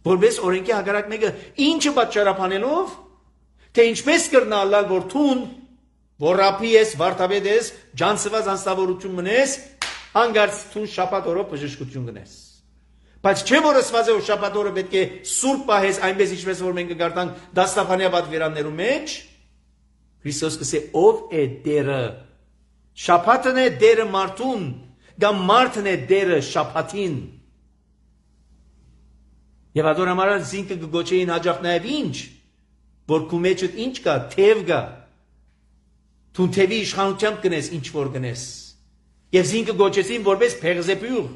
[SPEAKER 2] որպես օրենքի հագարակ մեկը ինչը պատճառաբանելով թե ինչպես կրնալալ որ թուն որ ռապի ես վարդապետ ես ջանցված անստավորություն մնես հանգարց թուն շաբաթ օրը բժշկություն գնես բայց չէ որ ասված է որ շաբաթ օրը պետք է սուրբ պահես այնպես ինչպես որ մենք կգարտանք դաստաֆանյա պատվիրաններու մեջ Քրիստոս կսե ով է դերը շաբաթն է դերը մարդուն կամ մարդն է դերը շաբաթին եւ adorամարա զինքը գոչեին հաջող նաեւ ինչ որ քու մեջդ ինչ կա թև կա դու թևի իշխանությամբ գնես ինչ որ գնես եւ զինքը գոչեցին որպես փեղզեպյուր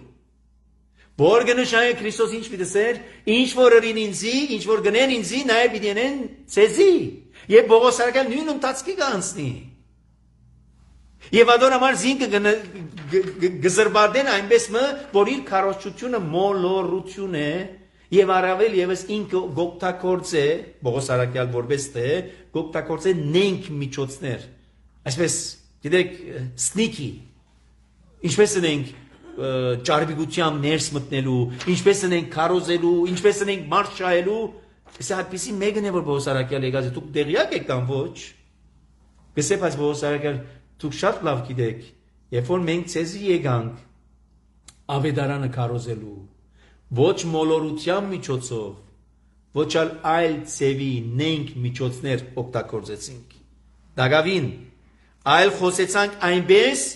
[SPEAKER 2] որ գնշայ Քրիստոս ինչ պիտեսեր ինչ որ ըրին ինձի ինչ որ գնեն ինձի նաեւ պիտենեն ցեզի եւ Պողոս Արաքյալ նույն ընթացքի կանցնի եւ adorամար զինքը գզրբարդեն այնպես մը որ իր քարոզչությունը մոլորություն է եւ առավել եւս ինքը գոկտակորձ է Պողոս Արաքյալ որպես թե գոկտակորձ է նենք միջոցներ այսպես գիտեք սնիկի ինչպես ենք ճարբիկությամբ ներս մտնելու, ինչպես ենք քարոզելու, ինչպես ենք մարդ շահելու, Սա այդպիսի մեկն է, որ Պողոս Արաքյալը եկած է, դուք տեղյակ եք կամ ոչ։ Գսե, բայց Պողոս Արաքյալ, դուք շատ լավ գիտեք, երբ որ մենք ցեզի եկանք ավետարանը քարոզելու, ոչ մոլորության միջոցով, ոչ այլ ցևի նենք միջոցներ օգտագործեցինք։ Դագավին, այլ խոսեցանք այնպես,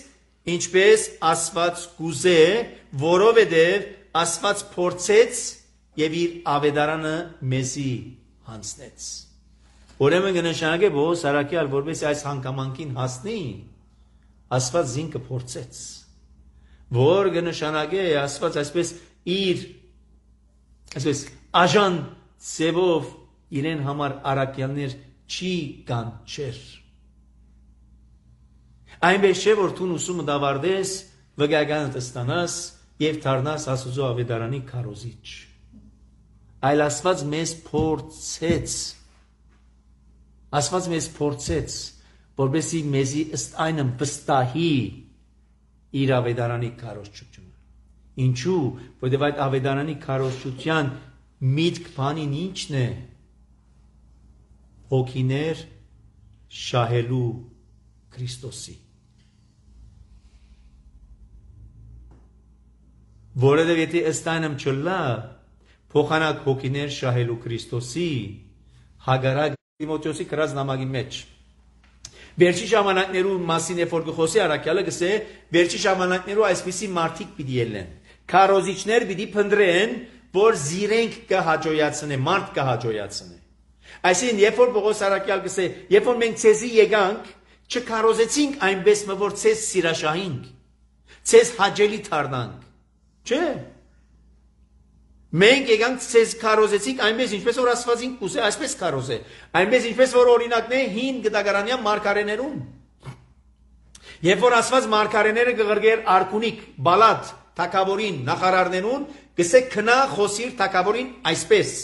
[SPEAKER 2] ինչպես Աստված կուզե, որովհետև Աստված փորձեց եւ իր ավետարանը մեզի հանձնեց։ Ուրեմն կնշանակե Պողոս Արաքյալ, որպես այս հանգամանքին հասնի, Աստված զինքը փորձեց։ Որ կնշանակե Աստված այսպես իր այսպես աժան ծևով իրեն համար Արաքյալներ չի կանչեր։ Այնպես չէ, որ դու ուսումը դավարտես, վկայականը ստանաս եւ դառնաս Աստծո ավետարանի քարոզիչ։ Այլ Աստված մեզ փորձեց, Աստված մեզ փորձեց, որպեսզի մեզի ըստ այնը վստահի իր ավետարանի քարոզչությունը։ Ինչու՞, որովհետև այդ ավետարանի քարոզչության միտք բանին ինչն է։ Հոգիներ շահելու Քրիստոսի։ Որովհետև եթե ըստ այնը չլա, փոխանակ հոգիներ շահելու Քրիստոսի, հագարակ Տիմոթեոսի գրած նամակի մեջ։ Վերջի ժամանակներու մասին երբ որ գխոսի Արաքյալը գսե, վերջի ժամանակներու այսպիսի մարդիկ պիտի ելնեն։ Քարոզիչներ պիտի փնտրեն, որ զիրենք կհաջոյացնե, մարդ կհաջոյացնե։ Այսինքն, երբ որ Պողոս Արաքյալ գսե, երբ որ մենք ցեզի եկանք, չքարոզեցինք այնպես, որ ցեզ սիրաշահինք, ցեզ հաջելի դառնանք։ Չէ։ Մենք եկանք ցեզ քարոզեցինք այնպես, ինչպես որ Աստվածին կուզե, այսպես քարոզե։ Այնպես ինչպես որ օրինակն է հին գտագարանյան մարգարեներուն։ Երբ որ Աստված մարգարեները կղրգեր Արքունիկ, Բալատ, Թագավորին, նախարարներուն, գսե քնա խոսիր Թագավորին այսպես։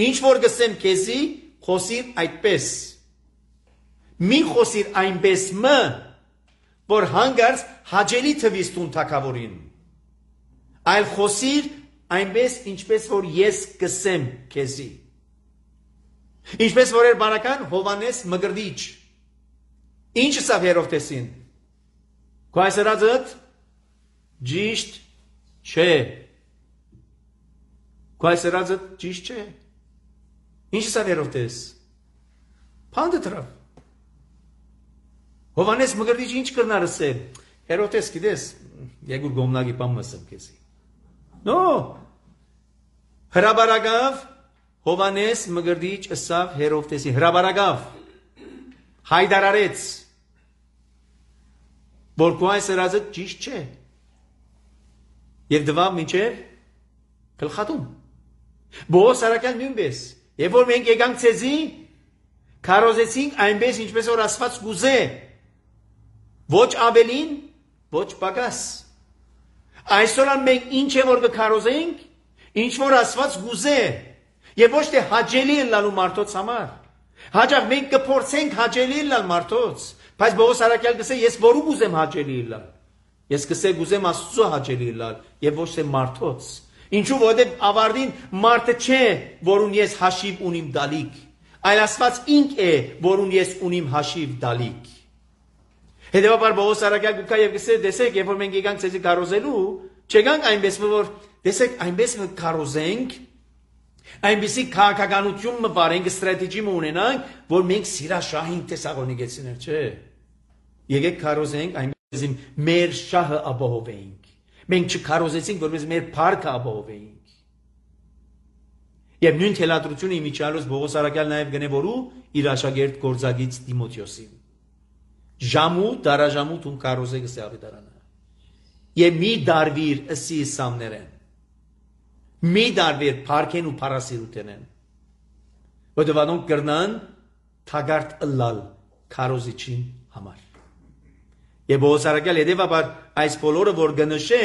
[SPEAKER 2] Ինչ որ գսեմ քեզի, խոսիր այդպես։ Մի խոսիր այնպես մը, որ հանգարց հաջելի թվիս տուն Թագավորին։ Այլ խոսիր այնպես, ինչպես որ ես կսեմ քեզի։ Ինչպես որ էր բանական Հովանես Մկրտիչ։ Ինչ ասավ Հերովտեսին։ Քո այս ասածդ ճիշտ չէ։ Քո այս ասածդ ճիշտ չէ։ Ինչ ասավ Հերովտես։ Փանդը դրավ։ Հովանես Մկրտիչ ինչ կրնար ասել։ Հերովտես գիտես, եկուր գոմնագի բան մսեմ քեզի։ No, հրաբարագավ Հովանես Մկրտիչ ասավ Հերովտեսի, հրաբարագավ, հայդարարեց, որ քո այս ասածը ճիշտ չէ, և դվավ մինչև գլխատում։ Պողոս Արաքյալ նույնպես, երբ որ մենք եկանք ցեզի, քարոզեցինք այնպես, ինչպես որ Աստված կուզե, ոչ ավելին, ոչ պակաս։ Այսօր մենք ինչ է որ կքարոզենք, ինչ որ Աստված գուզե, եւ ոչ թե հաջելի լալու մարդոց համար։ Հաջող մենք կփորձենք հաջելի լալ մարդոց, բայց Պողոս Արաքյալ գսե ես որու գուզեմ հաջելի լալ։ Ես գսե գուզեմ Աստծո հաջելի լալ եւ ոչ թե մարդոց։ Ինչու որովհետեւ ավարտին մարդը չէ, որուն ես հաշիվ ունիմ դալիք, այլ Աստված ինք է, որուն ես ունիմ հաշիվ դալիք։ Հետևաբար Պողոս Արաքյալ գուկա եւ գսե դեսեք, երբ որ մենք եկանք ցեզի քարոզելու, չեկանք այնպես որ դեսեք այնպես մենք քարոզենք, այնպեսի քաղաքականություն մվարենք, ստրատեգի ունենանք, որ մենք սիրաշահենք Թեսաղոնիկեցիներ, չէ։ Եկեք քարոզենք այնպես մեր շահը ապահովենք։ Մենք չքարոզեցինք, որպես մեր փառքը ապահովենք։ Եվ նույն թելադրությունը իմիջիալոց Պողոս Արաքյալ նաև գնե որու իր աշակերտ գործագից Տիմոթեոսին։ Ժամու, դարաժամու տուն կարոզեք սե ավետարանը։ Եվ մի դարվիր ըսի սամներեն։ Մի դարվիր պարքեն ու պարասիրութեն են։ Որտև անոնք կրնան թագարտ ըլլալ կարոզիչին համար։ Եվ Պողոս Արաքյալ հետևաբար այս բոլորը որ գնշե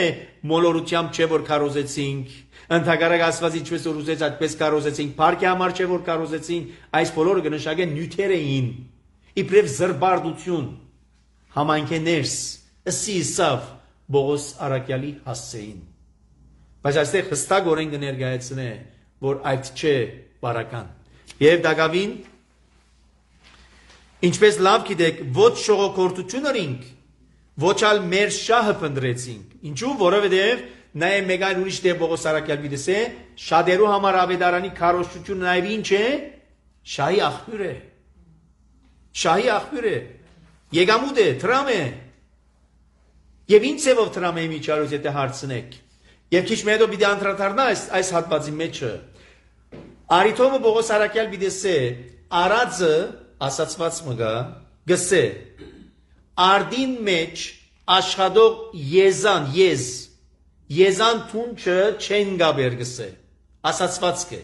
[SPEAKER 2] մոլորությամբ չէ որ կարոզեցինք, ընդհակառակ Աստված ինչպես որ ուզեց այդպես կարոզեցինք, պարքի համար չէ որ կարոզեցինք, այս բոլորը գնշակեն նյութեր էին, իբրև զրբարդություն, համայնքե ներս, ըսի սավ, Բողոս Արաքյալի հասցեին։ Բայց այստեղ հստակորեն կներկայացնե, որ այդ չէ բարական։ Եվ դակավին, ինչպես լավ գիտեք, ոչ շողոքորթություն արինք, ոչ ալ մեր շահը փնտրեցինք։ Ինչու՞, որովհետև նաև մեկ այլ ուրիշ դեպ Բողոս Արաքյալ գիտես է, շատերու համար ավետարանի քարոզությունը նաև ինչ է, շահի աղբյուր է։ Շահի աղբյուր է։ Եկամուտ է, տրամ է։ Եվ ինչ ձևով տրամ է միջարուց, եթե հարցնեք։ Եվ քիչ մեդո պիտի անդրադառնա այս այս հատվածի մեջը։ Արիթոմը Բողոս Արաքյալ գիտես է, արածը ասացված մգա, գսե, արդին մեջ աշխատող եզան, եզ, եզան թունչը չեն գաբեր գսե, ասացված կե,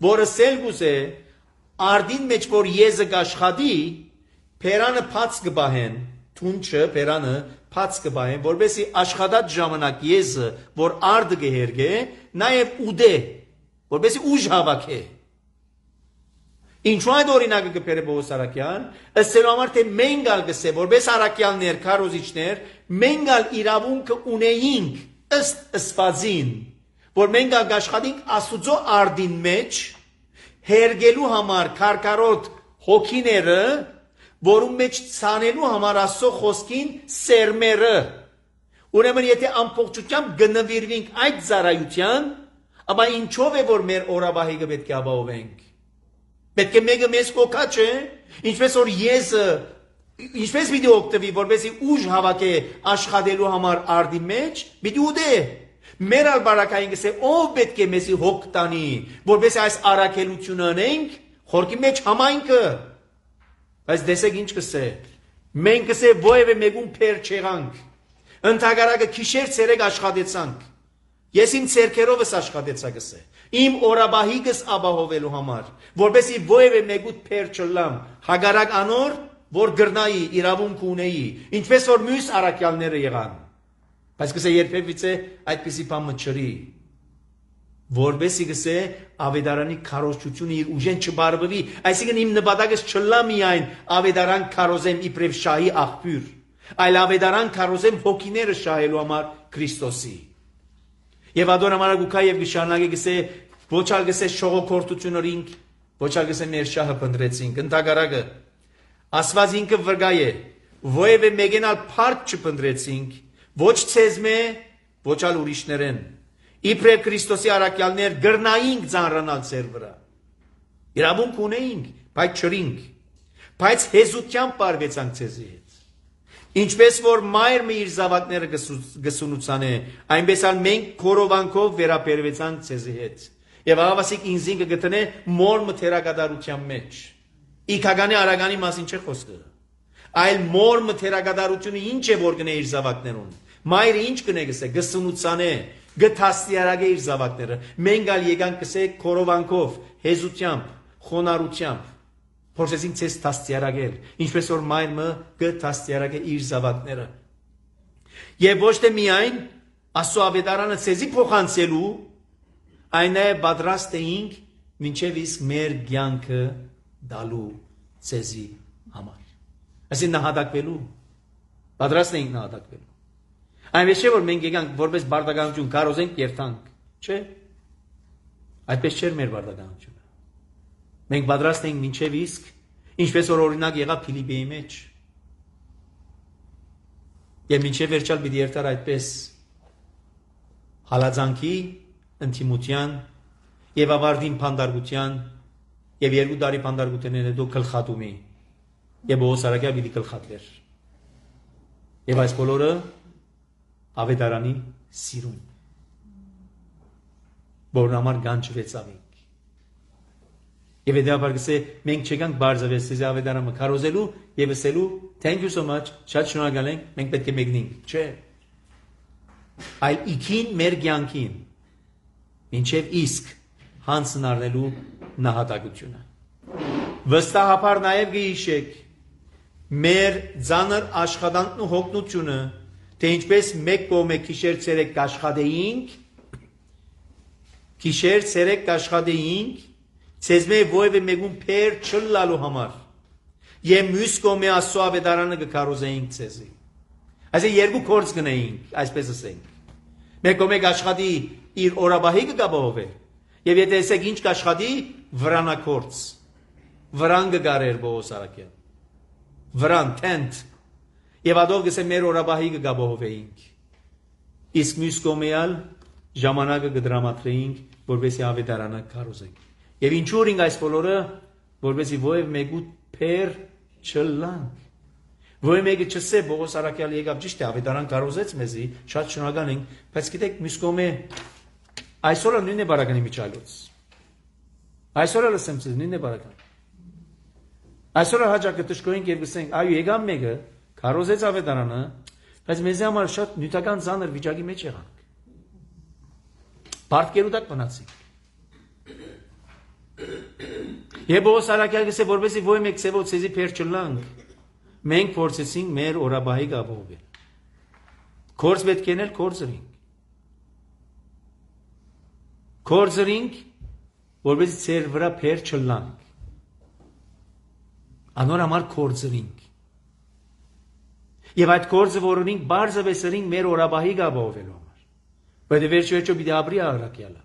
[SPEAKER 2] որը սելգուս է, արդին մեջ որ եզը գաշխադի, պերանը պաց կբահեն, թունչը պերանը պաց կբահեն, որբեսի աշխատած ժամանակ եզը, որ արդը գհերգե, նաև ուդե, որբեսի ուժ հավաք է։ Ինչու այդ օրինակը կպերը Բողոս Արաքյան, ըստելու համար թե մենք ալ գսե, որպես Արաքյալներ, քարոզիչներ, մենք ալ իրավունքը ունեինք ըստ ըսվածին, որ մենք ալ գաշխատինք Աստուծո արդին մեջ, հերգելու համար քարկարոտ հոգիները, որում մեջ ցանելու համար Աստծո խոսքին սերմերը։ Ուրեմն եթե ամբողջությամբ գնվիրվենք այդ ծառայության, ապա ինչով է որ մեր օրաբահիկը պետք է ապահովենք։ Պետք է մեկը մեզ կոքա չէ, ինչպես որ եզը, ինչպես պիտի օգտվի, որպեսզի ուժ հավաքե աշխատելու համար արդի մեջ, պիտի ուդե։ Մեր ալ բարակային գսե, ով պետք է մեզի հոգ տանի, որպեսզի այս առաքելությունը անենք, խորքի մեջ համայնքը։ Բայց դեսեք ինչ կսե, մենք կսե ովևէ մեկուն փեր չեղանք, ընդհակառակը քիշեր ցերեկ աշխատեցանք։ Ես իմ ցերքերովս աշխատեցա գսե, իմ օրաբահիկս ապահովելու համար, որպեսզի ովևէ մեկուտ փեր չլամ, հագարակ անոր, որ գրնայի, իրավունք ունեի, ինչպես որ մյուս առաքյալները եղան։ Բայց գսե երբևիցե այդպիսի բան մչրի, որպեսզի գսե ավետարանի քարոզությունը իր ուժեն չբարբվի, այսինքն իմ նպատակս չլա միայն ավետարան քարոզեմ իբրև շահի աղբյուր, այլ ավետարան քարոզեմ հոգիները շահելու համար Քրիստոսի։ Եվ ադոր համարագուքա եւ գշանագի գսե ոչ ալ գսե շողոքորթություն օրինք, ոչ ալ գսե մեր շահը փնտրեցինք, ընդհակառակը Աստված ինքը վրգայ է, ովևէ մեկենալ փառք չփնտրեցինք, ոչ ցեզմե, ոչ ալ ուրիշներեն։ Իբրև Քրիստոսի առաքյալներ գրնայինք ծանրանալ ձեր վրա։ Իրավունք ունեինք, բայց չրինք, բայց հեզությամբ պարվեցանք ցեզի հետ։ Ինչպես որ մայրը իր զավակները գսունուցան է, այնպես ալ մենք քորովանքով վերաբերվեցանք ցեզի հետ։ Եվ ավասիկ ինձին կգտնե մոր մթերակատարության մեջ։ Իքագանի արագանի մասին չէ խոսքը։ Այլ մոր մթերակատարությունը ինչ է որ գնե իր զավակներուն։ Մայրը ինչ կնե գսե, գսունուցան է, գթաստիարագե իր զավակները։ Մենք ալ եկանք գսե քորովանքով, հեզությամբ, խոնարհությամբ փորձեցինք ցես տաստիարագել, ինչպես որ մայրը գտաստիարագե իր զավակները։ Եվ ոչ թե միայն Աստծո ավետարանը ցեզի փոխանցելու, այն է պատրաստ էինք մինչև իսկ մեր կյանքը դալու ցեզի համար։ Այսինքն նահատակվելու, պատրաստ էինք նահատակվելու։ Այնպես չէ որ մենք եկանք որպես բարդականություն կարոզենք եւ տանք, չէ։ Այդպես չէր մեր բարդականությունը։ Մենք պատրաստ ենք մինչև իսկ, ինչպես որ օրինակ եղավ Փիլիպպիի մեջ։ Եվ մինչև վերջալ պիտի երթար այդպես հալածանքի, ընդդիմության եւ ավարտին փանդարգության եւ երկու տարի փանդարգությունից հետո գլխատումի եւ Բողոս Արաքյալ պիտի գլխատվեր։ Եվ այս բոլորը ավետարանի սիրուն, որն համար գանչվեցավի։ Եվ հետեւաբար գսե մենք չեկանք բարձավես ցեզի ավետարանը քարոզելու եւ ասելու thank you so much, շատ շնորհակալ ենք, մենք պետք է մեկնենք, չէ։ Այլ իքին մեր կյանքին մինչև իսկ հանցն առնելու նահատակությունը։ Վստահաբար նաեւ գիշեք մեր ծանր աշխատանքն ու հոգնությունը, թե ինչպես մեկ կողմը քիշեր ցերեկ աշխատեինք, քիշեր ցերեկ աշխատեինք, ցեզմե ովևէ մեկուն փեր չլալու համար, եւ մյուս կողմը Աստծո ավետարանը կքարոզեինք ցեզի։ Այսինքն երկու կորց գնայինք, այսպես ասենք։ Մեկ մեկ աշխատի իր օրաբահի կգաբողով է։ Եվ եթե ասեք ինչ կաշխատի, վրանակորց։ Վրան կգարեր Պողոս Արաքյան։ Վրան, tent։ Եվ ադով գսե մեր օրաբահի կգաբողով էինք։ Իսկ մյուս կողմեալ ժամանակը կդրամատրեինք, որպեսզի ավետարանը քարոզենք։ Եվ ինչու ենք այս բոլորը, որպեսզի ովև մեկու փեր չլանք։ Ովև մեկը չսե Պողոս Արաքյալը եկավ ճիշտ է, ավետարան քարոզեց մեզի, շատ շնորհակալ ենք, բայց գիտեք, մյուս կողմը այսօրը նույնն է բարականի միջալոց։ Այսօրը լսեմ ցեզ նույնն է բարական։ Այսօրը հաջակը տշկոյինք եւ գսենք, այո, եկավ մեկը, քարոզեց ավետարանը, բայց մեզի համար շատ նյութական ծանր վիճակի մեջ եղանք։ Բարդկերու դակ մնացինք։ Եվ Պողոս Արաքյալը գսե, որպեսզի ովև մեկ ցեվով ցեզի փեր չլանք, մենք փորձեցինք մեր օրաբահի գաբողել։ Կորձ պետք է նել կորձրինք։ Կորձրինք, որպեսզի ցեր վրա փեր չլանք։ Անոր համար կորձրինք։ Եվ այդ կորձը որոնինք բարձը վեսրինք մեր օրաբահի գաբողելու համար։ Բայց վերջի վերջո պիտի ապրի Արաքյալը։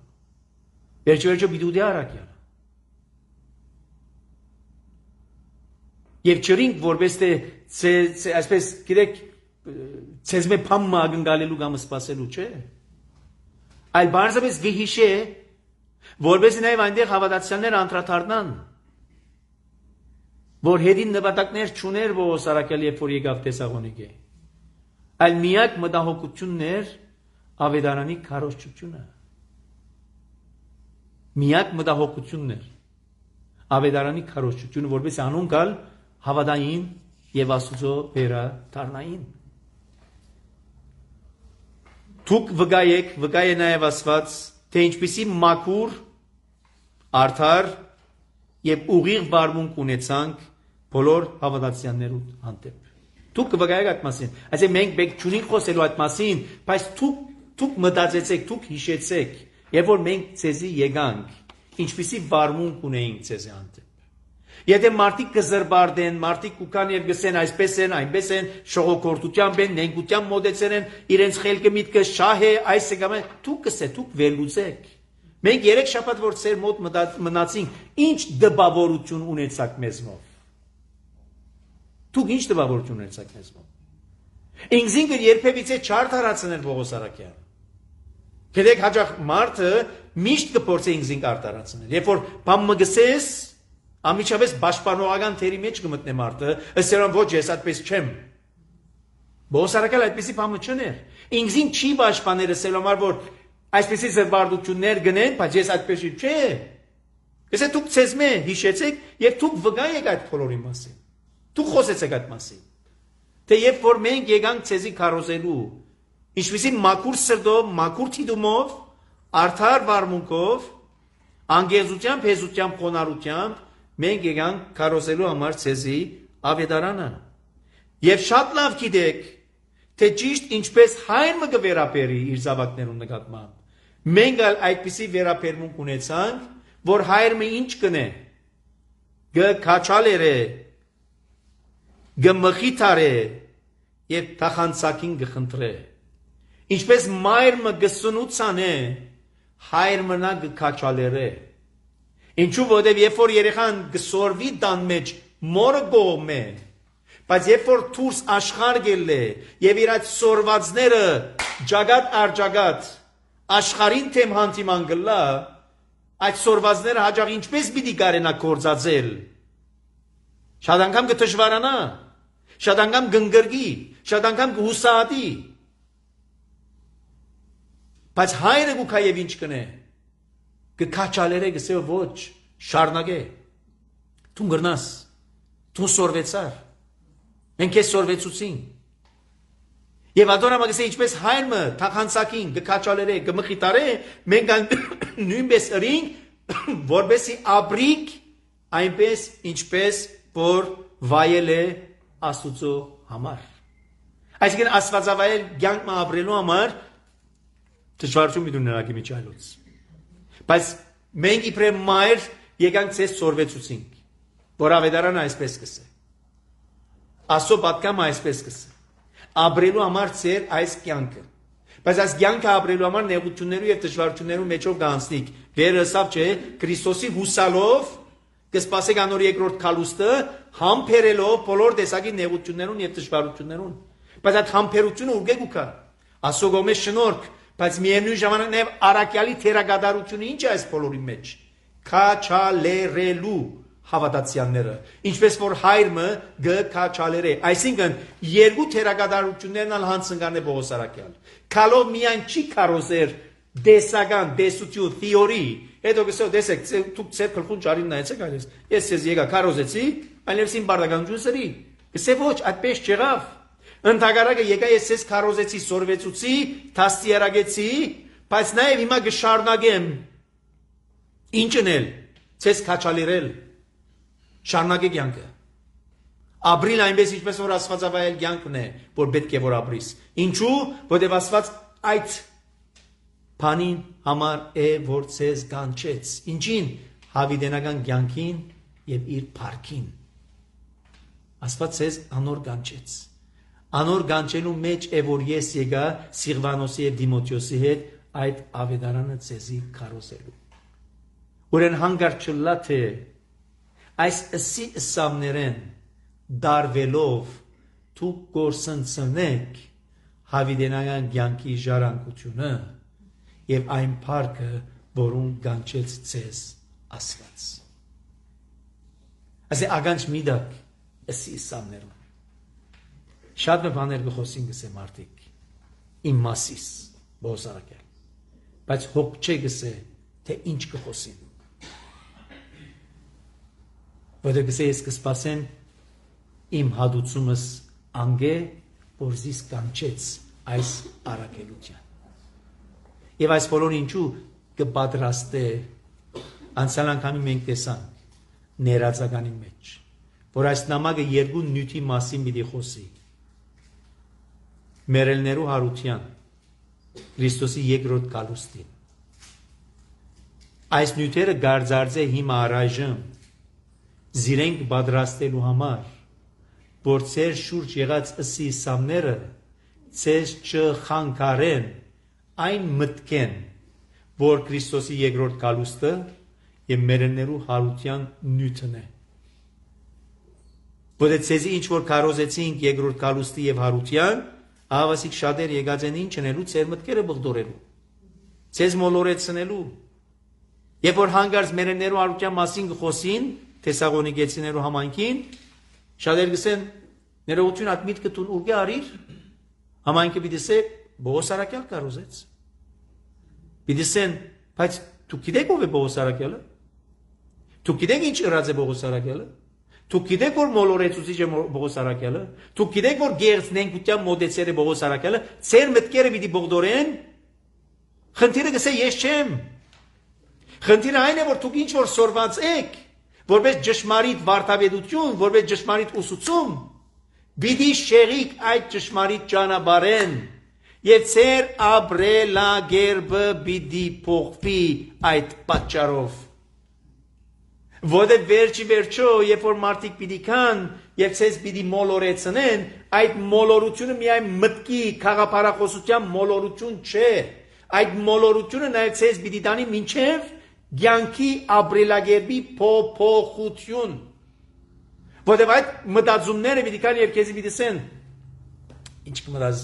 [SPEAKER 2] Վերջի վերջո պիտի ուտի Արաքյալը։ Եվ չրինք, որպես թե այսպես գիտեք ցեզ մե փամմա ագնկալելու կամ սպասելու, չէ։ Այլ բարձրապես վիհիշե, որպես նաև այնտեղ հավատացյալներ անդրադառնան, որ հետին նպատակներ չուներ Պողոս Արաքյալը, երբ որ եկավ Թեսաղոնիկե։ Այլ միակ մտահոգություններ ավետարանի քարոզչությունը։ Միակ մտահոգություններ ավետարանի քարոզչությունը, որպես անուն կալ հավատային եւ Աստուծո վերա դառնային։ Դուք վկայեք, վկայե նաեւ Աստված, թե ինչպիսի մաքուր, արդար եւ ուղիղ վարմունք ունեցանք բոլոր հավատացյալներու հանդեպ։ Դուք կվկայեք այդ մասին։ Այսինքն մենք մենք չունենք խոսելու այդ մասին, բայց դուք դուք մտածեցեք, դուք հիշեցեք, երբ որ մենք ցեզի եկանք, ինչպիսի վարմունք ունեինք ցեզի հանդեպ։ Եթե մարդիկ կզրբարդեն, մարդիկ կուքան եւ գսեն այսպես են, այնպես են, շողոքորտությամբ են, նենգությամբ մոդեցել են, իրենց խելքը միտքը շահ է, այս է կամ դուք կսե, դուք վերլուծեք։ Մենք երեք շաբաթ որ ծեր մոտ մնացինք, ինչ դպավորություն ունեցաք մեզնով։ Դուք ինչ դպավորություն ունեցաք մեզնով։ Ինքզինքը երբևիցե չարդարացնել Պողոս Արաքյալը։ Գիտեք, հաջող մարդը միշտ կփորձի ինքզինք արտարացնել։ Երբ որ բամ մգսես, ամիջապես պաշտպանողական թերի մեջ կմտնե մարդը, ըստ երան ոչ ես այդպես չեմ։ Պողոս Արաքյալը այդպեսի բամը չներ։ Ինքզին չի պաշտպանել ըստ համար որ այսպեսի զրբարդություններ գնեն, բայց ես այդպես չէ։ Եթե դուք ցեզմե հիշեցեք եւ դուք վկայեք այդ բոլորի մասին։ Դուք խոսեցեք այդ մասին։ Թե երբ որ մենք եկանք ցեզի քարոզելու, ինչպեսի մաքուր սրտով, մաքուր թիդումով, արդար վարմունքով, անգեզությամբ, հեզությամբ, խոնարհությամբ մենք եկանք քարոզելու համար ցեզի ավետարանը։ Եվ շատ լավ գիտեք, թե ճիշտ ինչպես հայրը կվերապերի իր զավակներուն նկատմամբ։ Մենք այդպիսի վերապերմունք ունեցանք, որ հայրը ինչ կնե, գքաչալեր է, գմխիթար է եւ թախանցակին գխնդրե։ Ինչպես մայրը գսունուցան է, հայրը նա գքաչալեր է։ Ինչու որտեւ երբ որ երեխան գսորվի տան մեջ մորը գոմ է, բայց երբ որ դուրս աշխարհ գելե եւ իր այդ սորվածները ջագատ արջագատ աշխարհին թեմ հանդիման գլա, այդ սորվածները հաջող ինչպես պիտի կարենա կործածել։ Շատ անգամ կդժվարանա, շատ անգամ կընկրկի, շատ անգամ կհուսահատի։ Բայց հայրը գուքա եւ ինչ կնե, կքաչալերը գսե ոչ, շարնագե, դու գրնաս, դու սորվեցար, մենք ես սորվեցուցին։ Եվ ադոնամը գսե ինչպես հայրը թախանցակին, կքաչալերը, կմխիտարե, մենք նույնպես ըրինք, որպեսի ապրիկ, այնպես ինչպես որ վայել է Աստուծո համար։ Այսինքն աստվածավայել կյանք ապրելու համար դժվարություն մի դուներակի միջայլոց։ Բայց մենք իբրև մայր եկանք ցես սորվեցուցինք, որ ավետարանը այսպես կսե։ Աստծո պատկամը այսպես կսե։ ապրելու համար ծեր այս կյանքը։ Բայց այս կյանքը ապրելու համար նեղություններու եւ դժվարություններու մեջով կանցնիկ։ Վերը սավ չէ, Քրիստոսի հուսալով կսպասեք անոր երկրորդ քալուստը, համբերելով բոլոր տեսակի նեղություններուն եւ դժվարություններուն։ Բայց այդ համբերությունը ուղղ է գուքա։ Ասոգոմե շնորհք, բայց միևնույն ժամանակ նաեւ արակյալի թերագադարությունը ինչ է այս բոլորի մեջ։ Քաչալերելու հավատացյալները, ինչպես որ հայրը գքաչալերե, այսինքն երկու թերագադարություններն ալ հանցնկան է Պողոս Արաքյալ։ Քալով միայն չի կարոզեր դեսական, դեսություն, թեորի, հետո գսո դեսեք, դուք ծեր գլխուն ճարին նայեցեք այլես, ես ես եկա կարոզեցի, այլևս իմ բարդականություն սրի, գսե ոչ, այդպես չեղավ, ընդհակառակը եկա ես ես կարոզեցի, սորվեցուցի, թաստիարագեցի, բայց նաև հիմա գշարունակեմ, ինչն էլ, ցես քաչալերել, շարունակեք կյանքը, ապրիլ այնպես ինչպես որ աստվածավայել կյանքն է, որ պետք է որ ապրիս, ինչու, որտեղ Աստված այդ բանին համար է, որ ցես կանչեց, ինչին, հավիտենական կյանքին եւ իր փառքին, Աստված ցես անոր կանչեց, անոր կանչելու մեջ է, որ ես եկա Սիղվանոսի եւ Դիմոթեոսի հետ այդ ավետարանը ցեզի քարոզելու, ուրեն հանգարտ չլա թե այս ըսի ըսամներեն դարվելով դուք գործընծնեք հավիտենական կյանքի ժառանգությունը եւ այն փառքը, որուն կանչեց ցեզ Աստված։ Ասե ագանջ միդակ ըսի ըսամներուն։ Շատ բաներ գխոսին գսե մարդիկ իմ մասիս Պողոս Արաքյալ, բայց հոգ չէ գսե թե ինչ գխոսին։ Որտեղ գսե ես կսպասեմ իմ հադուցումս անգե, որ զիս կանչեց այս առաքելության։ Եվ այս բոլորը ինչու կպատրաստե անցյալ անգամի մենք տեսանք ներածականի մեջ, որ այս նամակը երկու նյութի մասին պիտի խոսի։ Մերելներու հարության, Քրիստոսի երկրորդ գալուստին։ Այս նյութերը գարձարձե հիմա առայժմ զիրենք պատրաստելու համար, որ ծեր շուրջ եղած ըսի սամները ծեր չխանգարեն այն մտքեն, որ Քրիստոսի երկրորդ գալուստը եւ մերելներու հարության նյութն է։ Որը ցեզի ինչ որ կարոզեցինք երկրորդ գալուստի եւ հարության, ահավասիկ շատեր եկած են ինչ անելու, ծեր մտքերը բղդորելու, ցեզ մոլորեցնելու։ Երբ որ հանգարց մերելներու հարության մասին գխոսին, Թեսաղոնիկեցիներու համայնքին, շատեր գսեն, ներողություն այդ միտքը տուն ուղղի արիր, համայնքը պիտի ասե, Պողոս Արաքյալ կարոզեց։ Պիտի ասեն, բայց դուք գիտեք ով է Պողոս Արաքյալը։ Դուք գիտեք ինչ ըրած է Պողոս Արաքյալը։ Դուք գիտեք որ մոլորեցուցիչ է Պողոս Արաքյալը։ Դուք գիտեք որ գերձնենկության մոդեցեր է Պողոս Արաքյալը։ Ձեր մտքերը պիտի բողդորեն։ Խնդիրը գսե ես չեմ։ Խնդիրը այն է որ դուք ինչ որ սորված եք, որպես ճշմարիտ վարդապետություն, որպես ճշմարիտ ուսուցում, պիտի շեղիկ այդ ճշմարիտ ճանապարհեն եւ ծեր ապրելագերբը պիտի փոխվի այդ պատճառով։ Որտե վերջի վերջո, երբ որ մարդիկ պիտի կան եւ ցեզ պիտի մոլորեցնեն, այդ մոլորությունը միայն մտքի խաղապարախոսության մոլորություն չէ, այդ մոլորությունը նաեւ ցեզ պիտի տանի մինչեւ կյանքի ապրելագերբի փոփոխություն։ Որտեւ այդ մտածումները պիտի կան եւ քեզի պիտի ասեն, ինչ կմտած,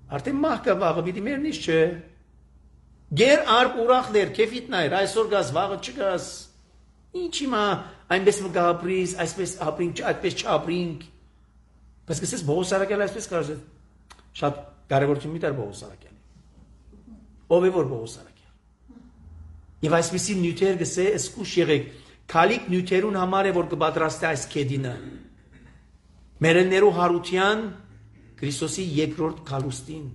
[SPEAKER 2] արդեն մահկա վաղը պիտի մեռնես չէ։ Գեր արբ ուրախներ, քեֆիտ նայր, այսօր գաս, վաղը չգաս։ Ինչ հիմա այնպես մը գաբրիս, այսպես ապրինք, այդպես չապրինք։ Բայց գսես Պողոս Արաքյալը այսպես կարծես։ Շատ կարևորություն մի տար Պողոս Արաքյալը։ Ով է որ Պողոս Արաքյալը։ Եվ այսպեսի նյութեր գսե սկուշ եղեք, քալիք նյութերուն համար է որ կպատրաստի այս քեդինը։ Մերելներու հարության Քրիստոսի երկրորդ գալուստին։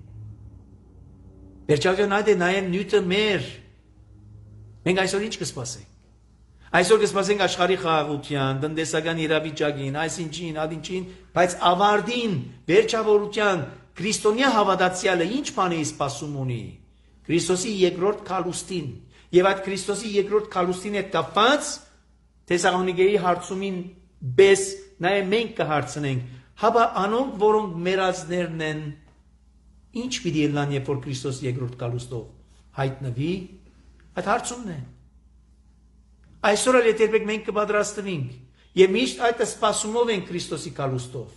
[SPEAKER 2] Վերջապես այդ է նաև նյութը մեր։ Մենք այսօր ինչ կսպասենք։ Այսօր կսպասենք աշխարհի խաղաղության, տնտեսական իրավիճակին, այսինչին, ադինչին, բայց ավարտին, վերջավորության քրիստոնյա հավատացյալը ինչ բան է սպասում ունի։ Քրիստոսի երկրորդ գալուստին։ Եվ այդ Քրիստոսի երկրորդ գալուստին հետ կապված Թեսաղոնիկեի հարցումին բես նաև մենք կհարցնենք Հաբա անոնք, որոնք մերածներն են, ինչ պիտի ելնան, երբ որ Քրիստոս երկրորդ գալուստով հայտնվի, այդ հարցումն է։ Այսօր էլ եթե երբեք մենք կպատրաստվենք եւ միշտ այդ սպասումով են Քրիստոսի գալուստով։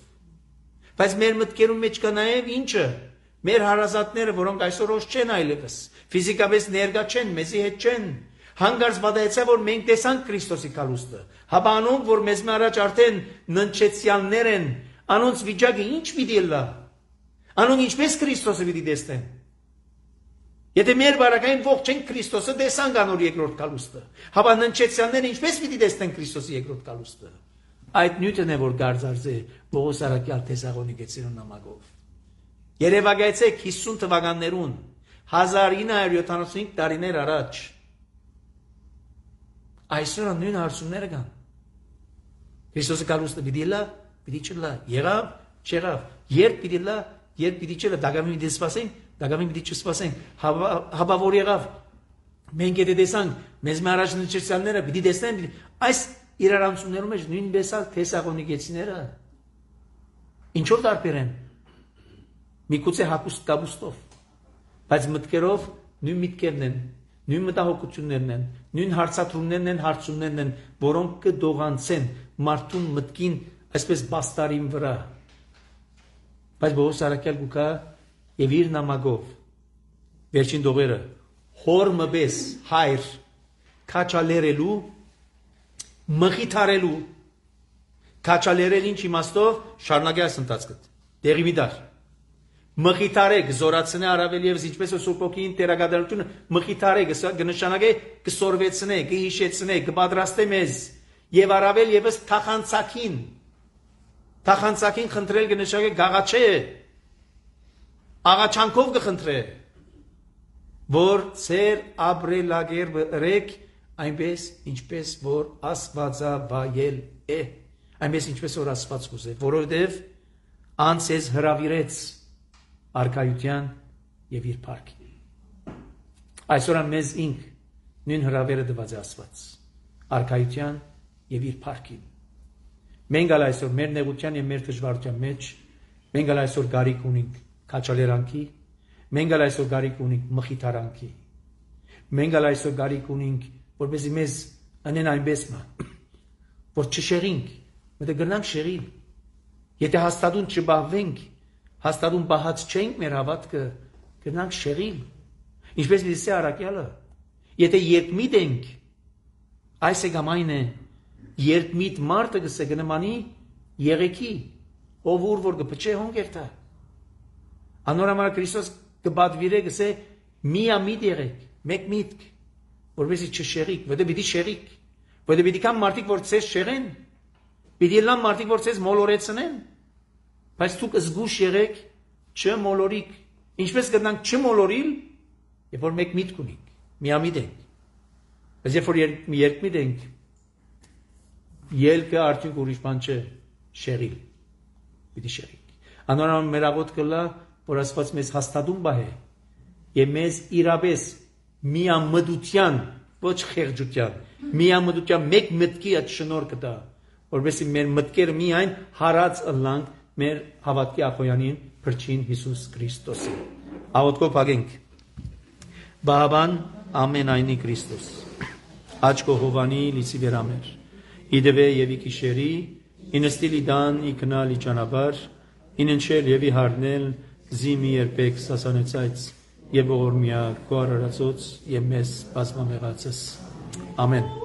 [SPEAKER 2] Բայց մեր մտքերում մեջ կա նաեւ ինչը, մեր հարազատները, որոնք այսօր ոչ չեն այլևս, ֆիզիկապես ներկա չեն, մեզի հետ չեն, հանգարց վադայեցա, որ մենք տեսանք Քրիստոսի գալուստը։ Հաբա անոնք, որ մեզ առաջ արդեն ննչեցյալներ են, անոնց վիճակը ինչ պիտի լա։ Անոնք ինչպես Քրիստոսը պիտի տեսնեն։ Եթե մեր բարակային ողջ են Քրիստոսը տեսանք անոր երկրորդ գալուստը, հաբա ննչեցյալները ինչպես պիտի տեսնեն Քրիստոսի երկրորդ գալուստը։ Այդ նյութն է, որ գարձարձ է Պողոս առաքյալ Թեսաղոնիկեցիներու նամակով։ Երևակայեցեք հիսուն թվականներուն, հազար ինը հարյուր յոթանասունհինգ տարիներ առաջ։ Այսօր նույն հարցումները կան։ Քրիստոսի գալուստը պիտի լա, պիտի չլա, եղավ, չեղավ, երբ պիտի լա, երբ պիտի չլա, դագամին պիտի սպասենք, դագամին պիտի չսպասենք, հաբա որ եղավ։ Մենք եթե տեսանք, մեզ մեր առաջ ննչեցյալները պիտի տեսնեն, այս իրարանցումներում մեջ նույնպես ալ Թեսաղոնիկեցիները ինչով տարբեր են։ Միգուցե հակուստ կապուստով, բայց մտքերով նույն միտքերն են, նույն մտահոգություններն են, նույն հարցադրումներն են, հարցումներն են, որոնք կդողանցեն մարդուն մտքին այսպես բաստարին վրա։ Բայց Պողոս առաքյալ գուկա եւ իր նամակով վերջին դողերը հոր մբես հայր քաչալերելու մխիթարելու քաչալերել ինչ իմաստով շարունակի այս ընթացքը դեղի մի դար մխիթարեք զորացնե առավել եւս ինչպես է Սուրբ Օքին տերագադրությունը մխիթարեք կնշանակե կսորվեցնե կհիշեցնե կպատրաստե մեզ եւ առավել եւս թախանցակին թախանցակին խնդրել կնշանակե գաղաչե աղաչանքով կխնդրե որ ծեր ապրելագեր բրեք այնպես ինչպես որ Աստվածավայել է այնպես ինչպես որ Աստված կուզե որովհետեւ անցես հրավիրեց արքայության եւ իր փառքին այսօր մեզ ինք նույն հրավերը տված է Աստված արքայության եւ իր փառքին մենք ալ այսօր մեր նեղության եւ մեր դժվարության մեջ մենք ալ այսօր գարիք ունենք քաչալերանքի մենք ալ այսօր գարիք ունենք մխիթարանքի մենք ալ այսօր գարիք ունենք որպեսզի մեզ անեն այնպես մա որ չշեղինք մտե գնանք շեղին եթե հաստատուն չբահվենք հաստատուն բահած չենք մեր հավատքը գնանք շեղին ինչպես լսի առաքյալը եթե երբմիտ ենք այս է գամայն է երբմիտ մարդը գսե գնմանի եղեքի ով ուր որ կփչե հոնգերտա անորամար Քրիստոս կբադվիրե գսե միամիտ եղեք մեկ միտք որովհետեւ չշեղիկ որովհետեւ պիտի շեղիկ որովհետեւ պիտի կան մարդիկ որ ցես շեղեն պիտի լան մարդիկ որ ցես մոլորեցնեն բայց դուք զգուշ եղեք չմոլորիկ ինչպես կդանք չմոլորիլ երբ որ մեկ միտք ունենք միամիտ ենք բայց երբ որ երկմիտ ենք ելքը արդյունք ուրիշ բան չէ շեղիլ պիտի շեղիկ անորամ մեր աղոտ կլա որ Աստված մեզ հաստատում բահե եւ մեզ իրապես միամտության ոչ խեղճության միամտության մեկ մտքի այդ շնորհքը տա որովհետեւ մեր մտքերը միայն հարած ըլլանք մեր հավատքի ախոյանին փրկին Հիսուս Քրիստոսին աղոթքով փակենք բահաբան ամենայնի Քրիստոս աչքո հովանի լիցի վերամեր իդվե եւ իքիշերի ինստիլի դան իքնալի ճանապար իննչել եւ իհարնել զիմի երբեք սասանեցայց եւ ողորմիա կոարարածոց եւ մեզ բազմամեղացս ամեն